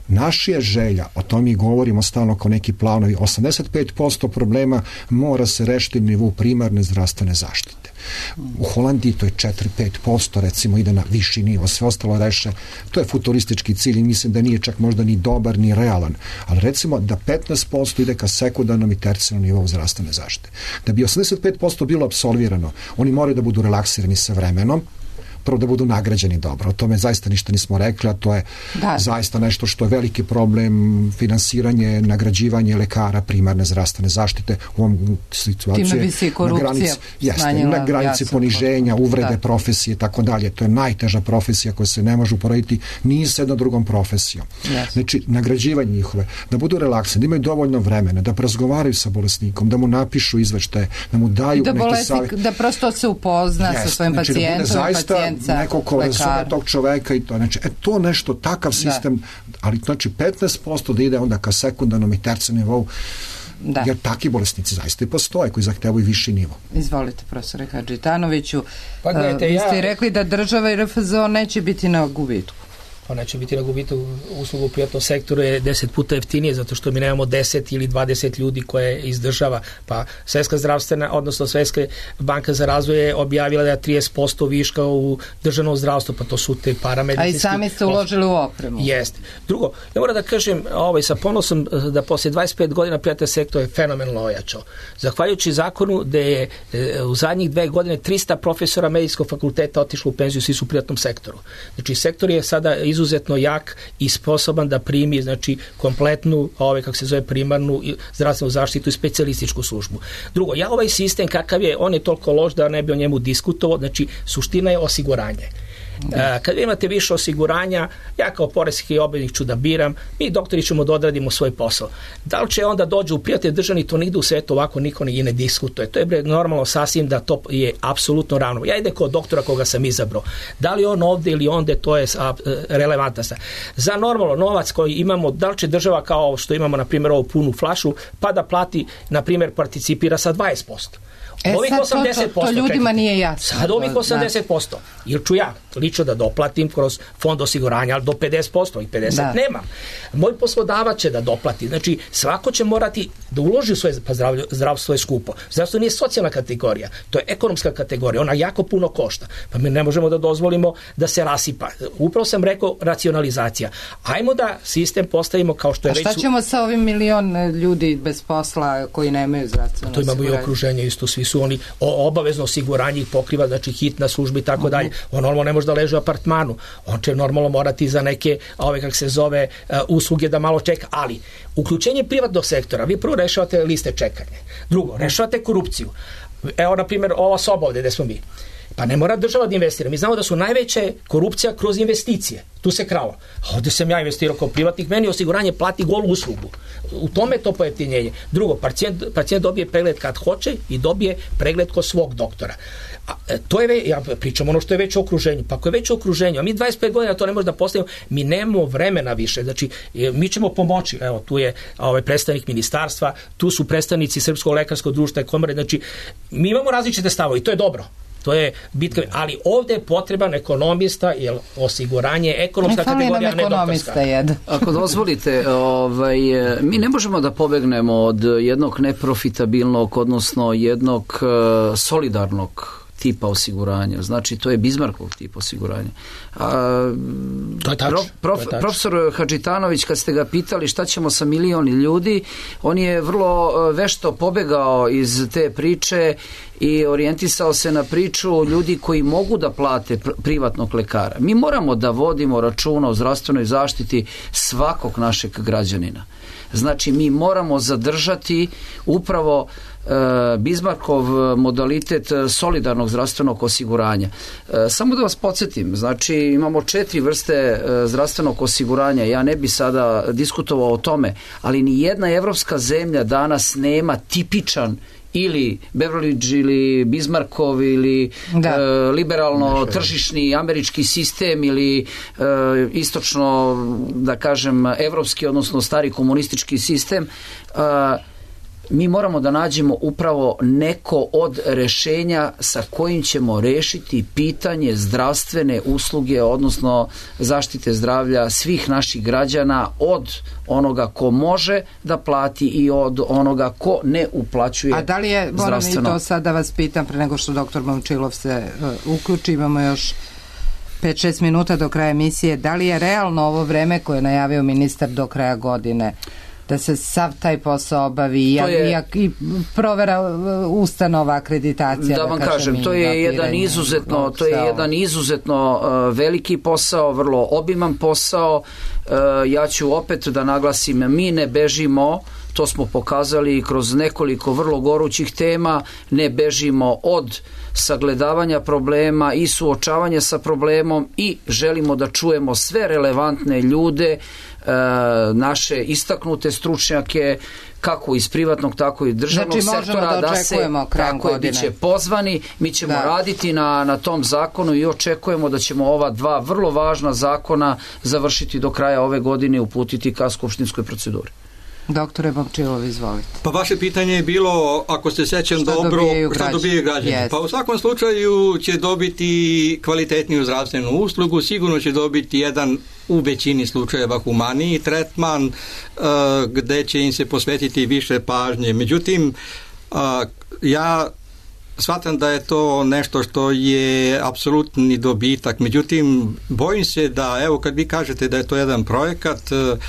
Naš je želja, o tom i govorimo stalno kao neki planovi, osamdeset pet posto problema mora se rešiti na nivou primarne zdravstvene zaštite. U Holandiji to je četiri do pet posto, recimo ide na viši nivo, sve ostalo reše. To je futuristički cilj i mislim da nije čak možda ni dobar ni realan, ali recimo da petnaest posto ide ka sekundarnom i tercijarnom nivou zdravstvene zaštite. Da bi osamdeset pet posto bilo apsolvirano, oni moraju da budu relaksirani sa vremenom, prvo da budu nagrađeni dobro. O tome zaista ništa nismo rekli, a to je da. zaista nešto što je veliki problem, finansiranje, nagrađivanje lekara primarne zdravstvene zaštite u ovom situaciji. Time bi se i korupcija na granici, jeste, na granici poniženja, uvrede, da. profesije i tako dalje. To je najteža profesija koja se ne može uporediti ni sa jednom drugom profesijom. Yes. Znači, nagrađivanje njihove, da budu relaksni, da imaju dovoljno vremena, da razgovaraju sa bolesnikom, da mu napišu izveštaje, da mu daju da neke savjete. Da prosto se upozna yes. sa svojim znači, pacijentom, da zaista neko ko razume tog čoveka i to, znači, e, to nešto, takav sistem, da. ali znači petnaest posto da ide onda ka sekundarnom i tercijarnom nivou, da. jer takvi bolesnici zaista i postoje koji zahtevaju viši nivo. Izvolite, profesore Hadžitanoviću. Pa gledajte, uh, vi ste ja... rekli da država i R F Z O neće biti na gubitku. Ona će biti na gubitku uslugu u privatnom sektoru je deset puta jeftinije zato što mi nemamo deset ili dvadeset ljudi koje izdržava. Pa Svetska zdravstvena, odnosno Svetska banka za razvoj je objavila da je trideset posto viška u državnom zdravstvu, pa to su te paramedicinski. A i sami ste uložili u opremu. Jeste. Drugo, ja moram da kažem ovaj, sa ponosom da posle dvadeset pet godina privatni sektor je fenomenalno ojačao. Zahvaljujući zakonu da je e, u zadnjih dve godine trista profesora medijskog fakulteta otišlo u penziju, svi su u privatnom sektoru. Znači, sektor je sada izuzetno jak i sposoban da primi, znači, kompletnu, ovaj, kako se zove, primarnu zdravstvenu zaštitu i specijalističku službu. Drugo, ja ovaj sistem kakav je, on je toliko loš da ne bi o njemu diskutovao, znači, suština je osiguranje. Da. Kad imate više osiguranja, ja kao poreski obveznik ću da biram, mi doktori ćemo da odradimo svoj posao. Da li će onda dođe u prijatelj državni, to nigde u svetu ovako niko ne, ne diskutuje. To je bre, normalno sasvim da to je apsolutno ravno. Ja idem kod doktora koga sam izabrao. Da li on ovde ili onde, to je a, relevantna stvar. Za normalno novac koji imamo, da li će država kao što imamo, na primjer, ovu punu flašu, pa da plati, na primjer, participira sa dvadeset posto. E ovih osamdeset posto, to, to, to ljudima čekajte. Nije jasno. Sad ovih osamdeset posto. Ili ću ja lično da doplatim kroz fond osiguranja, ali do pedeset posto i pedeset da. Nemam. Moj poslodavac će da doplati. Znači, svako će morati da uloži u svoje, pa zdravlje, zdravstvo je skupo. Zdravstvo nije socijalna kategorija, to je ekonomska kategorija, ona jako puno košta. Pa mi ne možemo da dozvolimo da se rasipa. Upravo sam rekao racionalizacija. Ajmo da sistem postavimo kao što je već... A šta su... ćemo sa ovim milion ljudi bez posla koji nemaju zdravstveno osiguranje? To imamo i okruženje isto, svi su oni o, obavezno osiguranje ih pokriva, znači hitna služba i tako dalje. On normalno ne može da leži u apartmanu. On će normalno morati za neke, ove kako se zove, uh, usluge da malo čeka, ali uključenje privatnog sektora, vi prvo rešavate liste čekanja. Drugo, rešavate korupciju. Evo, na primjer, ova soba ovde gde smo mi. Pa ne mora država da investira. Mi znamo da su najveće korupcija kroz investicije. Tu se kralo. A ovde sam ja investirao kao privatnik, meni osiguranje plati golu uslugu. U tome je to pojeftinjenje. Drugo, pacijent, pacijent dobije pregled kad hoće i dobije pregled kod svog doktora. A, to je ve, ja pričam ono što je već u okruženju. Pa ako je već u okruženju, a mi dvadeset pet godina to ne možemo da postavimo, mi nemamo vremena više. Znači, mi ćemo pomoći. Evo, tu je ovaj predstavnik ministarstva, tu su predstavnici Srpskog lekarskog društva i komore. Znači, mi imamo različite stavove i to je dobro. To je bitka, ali ovde je potreban ekonomista, jer osiguranje ekonomska kategorija, ne doktorska. Ako dozvolite, ovaj, mi ne možemo da pobegnemo od jednog neprofitabilnog, odnosno jednog uh, solidarnog tipa osiguranja. Znači, to je Bizmarkov tip osiguranja. A, to je tač, prof, prof, to je tač. Profesor Hadžitanović, kad ste ga pitali šta ćemo sa milioni ljudi, on je vrlo vešto pobegao iz te priče i orijentisao se na priču ljudi koji mogu da plate privatnog lekara. Mi moramo da vodimo računa o zdravstvenoj zaštiti svakog našeg građanina. Znači, mi moramo zadržati upravo Bizmarkov modalitet solidarnog zdravstvenog osiguranja. Samo da vas podsjetim, znači imamo četiri vrste zdravstvenog osiguranja, ja ne bi sada diskutovao o tome, ali ni jedna evropska zemlja danas nema tipičan ili Beveridge ili Bismarckov ili e, liberalno tržišni američki sistem ili e, istočno, da kažem, evropski, odnosno stari komunistički sistem. E, mi moramo da nađemo upravo neko od rešenja sa kojim ćemo rešiti pitanje zdravstvene usluge, odnosno zaštite zdravlja svih naših građana, od onoga ko može da plati i od onoga ko ne uplaćuje zdravstveno. A da li je, moram i to sad da vas pitam pre nego što doktor Momčilov se uh, uključi, imamo još pet šest minuta do kraja emisije, da li je realno ovo vreme koje je najavio ministar do kraja godine da se sav taj posao obavi je, i, i provera ustanova, akreditacija. Da vam da kažem, kažem to je jedan izuzetno, to je jedan izuzetno uh, veliki posao, vrlo obiman posao. Uh, ja ću opet da naglasim, mi ne bežimo, to smo pokazali kroz nekoliko vrlo gorućih tema, ne bežimo od sagledavanja problema i suočavanja sa problemom i želimo da čujemo sve relevantne ljude, naše istaknute stručnjake, kako iz privatnog, tako i državnog znači, sektora, da, da se tako je, bit će pozvani, mi ćemo da. raditi na, na tom zakonu i očekujemo da ćemo ova dva vrlo važna zakona završiti do kraja ove godine i uputiti ka skupštinskoj proceduri. Doktore Momčilov, izvolite. Pa vaše pitanje je bilo, ako se sećam šta dobro, dobijaju šta dobijaju građani. Yes. Pa u svakom slučaju će dobiti kvalitetniju zdravstvenu uslugu, sigurno će dobiti jedan u većini slučajeva humaniji tretman uh, gde će im se posvetiti više pažnje. Međutim, uh, ja shvatam da je to nešto što je apsolutni dobitak. Međutim, bojim se da, evo kad vi kažete da je to jedan projekat, uh,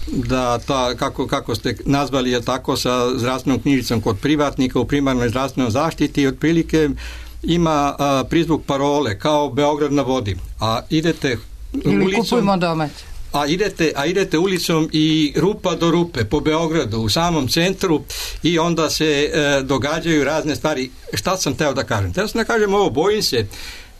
da ta, kako, kako ste nazvali je tako sa zdravstvenom knjižicom kod privatnika u primarnoj zdravstvenoj zaštiti, otprilike ima a, prizvuk parole kao Beograd na vodi, a idete ili ulicom, kupujmo domaće. A idete, a idete ulicom i rupa do rupe po Beogradu u samom centru i onda se e, događaju razne stvari. Šta sam teo da kažem? Teo sam da kažem ovo, bojim se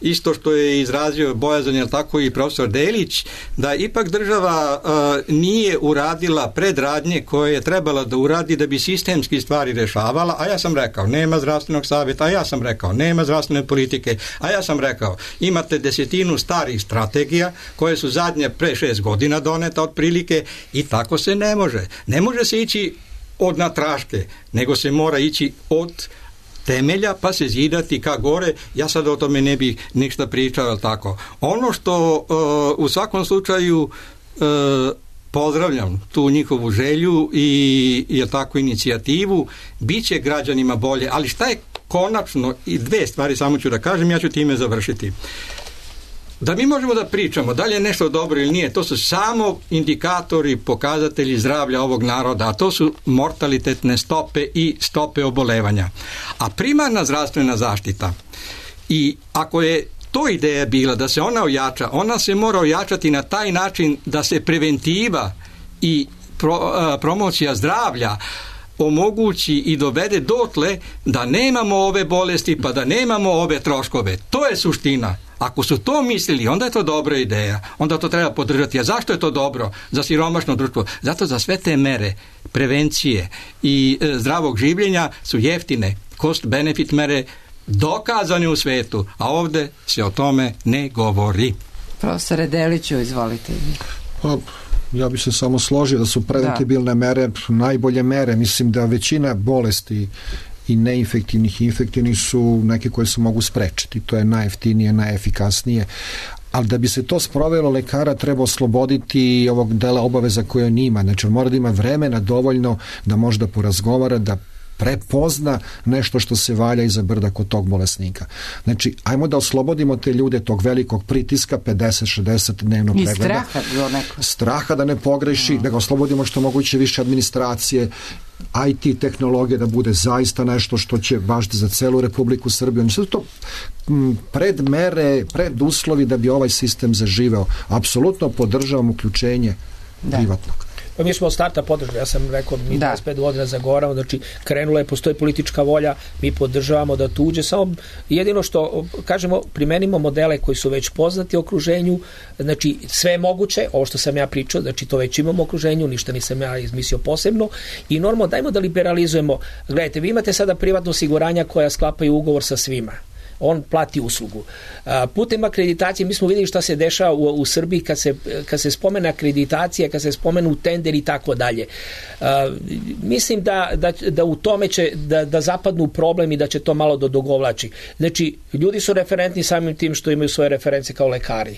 isto što je izrazio bojazan, jel tako, i profesor Delić, da ipak država uh, nije uradila predradnje koje je trebala da uradi da bi sistemski stvari rešavala, a ja sam rekao, nema zdravstvenog savjeta, a ja sam rekao, nema zdravstvene politike, a ja sam rekao, imate desetinu starih strategija koje su zadnje pre šest godina doneta otprilike i tako se ne može. Ne može se ići od natraške, nego se mora ići od temelja pa se zidati ka gore. Ja sad o tome ne bih ništa pričao, ali tako. Ono što uh, u svakom slučaju uh, pozdravljam tu njihovu želju i je tako inicijativu, bit će građanima bolje, ali šta je konačno, i dve stvari samo ću da kažem, ja ću time završiti. Da mi možemo da pričamo da li je nešto dobro ili nije, to su samo indikatori, pokazatelji zdravlja ovog naroda, a to su mortalitetne stope i stope obolevanja. A primarna zdravstvena zaštita, i ako je to ideja bila da se ona ojača, ona se mora ojačati na taj način da se preventiva i pro, a, promocija zdravlja omogući i dovede dotle da nemamo ove bolesti pa da nemamo ove troškove. To je suština. Ako su to mislili, onda je to dobra ideja. Onda to treba podržati. A zašto je to dobro za siromašno društvo? Zato za sve te mere prevencije i e, zdravog življenja su jeftine. Cost-benefit mere dokazane u svetu, a ovde se o tome ne govori. Profesore Deliću, izvolite. Pa, ja bih se samo složio da su preventibilne mere najbolje mere. Mislim da većina bolesti i neinfektivnih i infektivnih su neke koje se mogu sprečiti. To je najjeftinije, najefikasnije. Ali da bi se to sprovelo, lekara treba osloboditi ovog dela obaveza koje on ima. Znači, on mora da ima vremena dovoljno da može da porazgovara, da prepozna nešto što se valja iza brda kod tog bolesnika. Znači, ajmo da oslobodimo te ljude tog velikog pritiska, pedeset šezdeset dnevno pregleda. I straha do neko. Straha da ne pogreši, no. Da ga oslobodimo što moguće više administracije, I T tehnologije da bude zaista nešto što će važiti za celu Republiku Srbiju. Znači, sve to predmere, preduslovi da bi ovaj sistem zaživeo. Apsolutno podržavam uključenje da. privatnog. Pa mi smo od starta podržali, ja sam rekao mi dvadeset pet godina zagovaramo, znači krenula je, postoji politička volja, mi podržavamo da tuđe, samo jedino što kažemo, primenimo modele koji su već poznati u okruženju, znači sve je moguće, ovo što sam ja pričao, znači to već imamo u okruženju, ništa nisam ja izmislio posebno i normalno dajmo da liberalizujemo. Gledajte, vi imate sada privatno osiguranja koja sklapaju ugovor sa svima. On plati uslugu. Putem akreditacije mi smo vidjeli šta se dešava u, u Srbiji kad se, kad se spomene akreditacija, kad se spomenu tender i tako dalje. Mislim da, da, da u tome će da, da zapadnu problem i da će to malo da dogovlači. Znači, ljudi su referentni samim tim što imaju svoje reference kao lekari.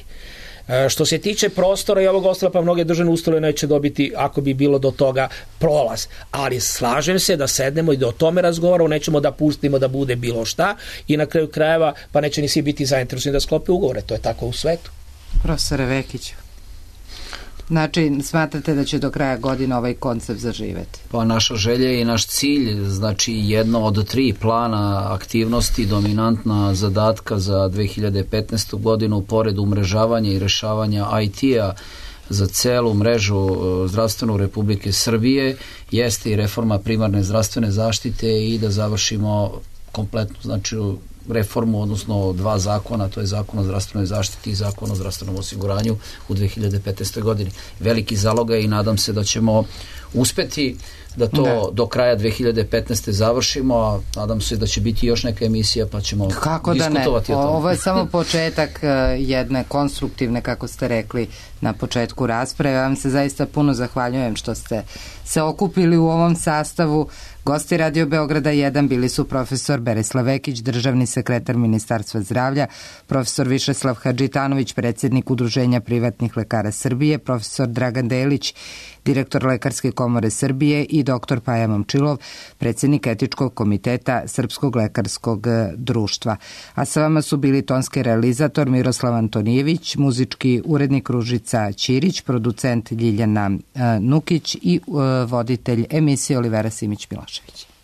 Što se tiče prostora i ovog ostala, pa mnoge državne ustanove neće dobiti, ako bi bilo do toga, prolaz. Ali slažem se da sednemo i da o tome razgovaramo, nećemo da pustimo da bude bilo šta i na kraju krajeva pa neće ni svi biti zainteresovani da sklope ugovore. To je tako u svetu. Profesore Vekiću, znači smatrate da će do kraja godine ovaj koncept zaživeti? Pa naša želja i naš cilj, znači jedno od tri plana aktivnosti, dominantna zadatka za dve hiljade petnaestu godinu, pored umrežavanja i rešavanja I T-a za celu mrežu zdravstvenu Republike Srbije, jeste i reforma primarne zdravstvene zaštite i da završimo kompletnu, znači reformu, odnosno dva zakona, to je zakon o zdravstvenoj zaštiti i zakon o zdravstvenom osiguranju u dve hiljade petnaestoj godini. Veliki zalogaj i nadam se da ćemo uspeti da to ne. do kraja dve hiljade petnaeste završimo, a nadam se da će biti još neka emisija pa ćemo kako diskutovati da ne? o tome. Ovo je samo početak jedne konstruktivne, kako ste rekli na početku rasprave. Ja vam se zaista puno zahvaljujem što ste se okupili u ovom sastavu. Gosti Radio Beograda jedan bili su profesor Berislav Vekić, državni sekretar Ministarstva zdravlja, profesor Višeslav Hadžitanović, predsjednik Udruženja privatnih lekara Srbije, profesor Dragan Delić, direktor Lekarske komore Srbije i doktor Paja Momčilov, predsjednik Etičkog komiteta Srpskog lekarskog društva. A sa vama su bili tonski realizator Miroslav Antonijević, muzički urednik Ružica Ćirić, producent Ljiljana Nukić i voditelj emisije Olivera Simić-Milošević.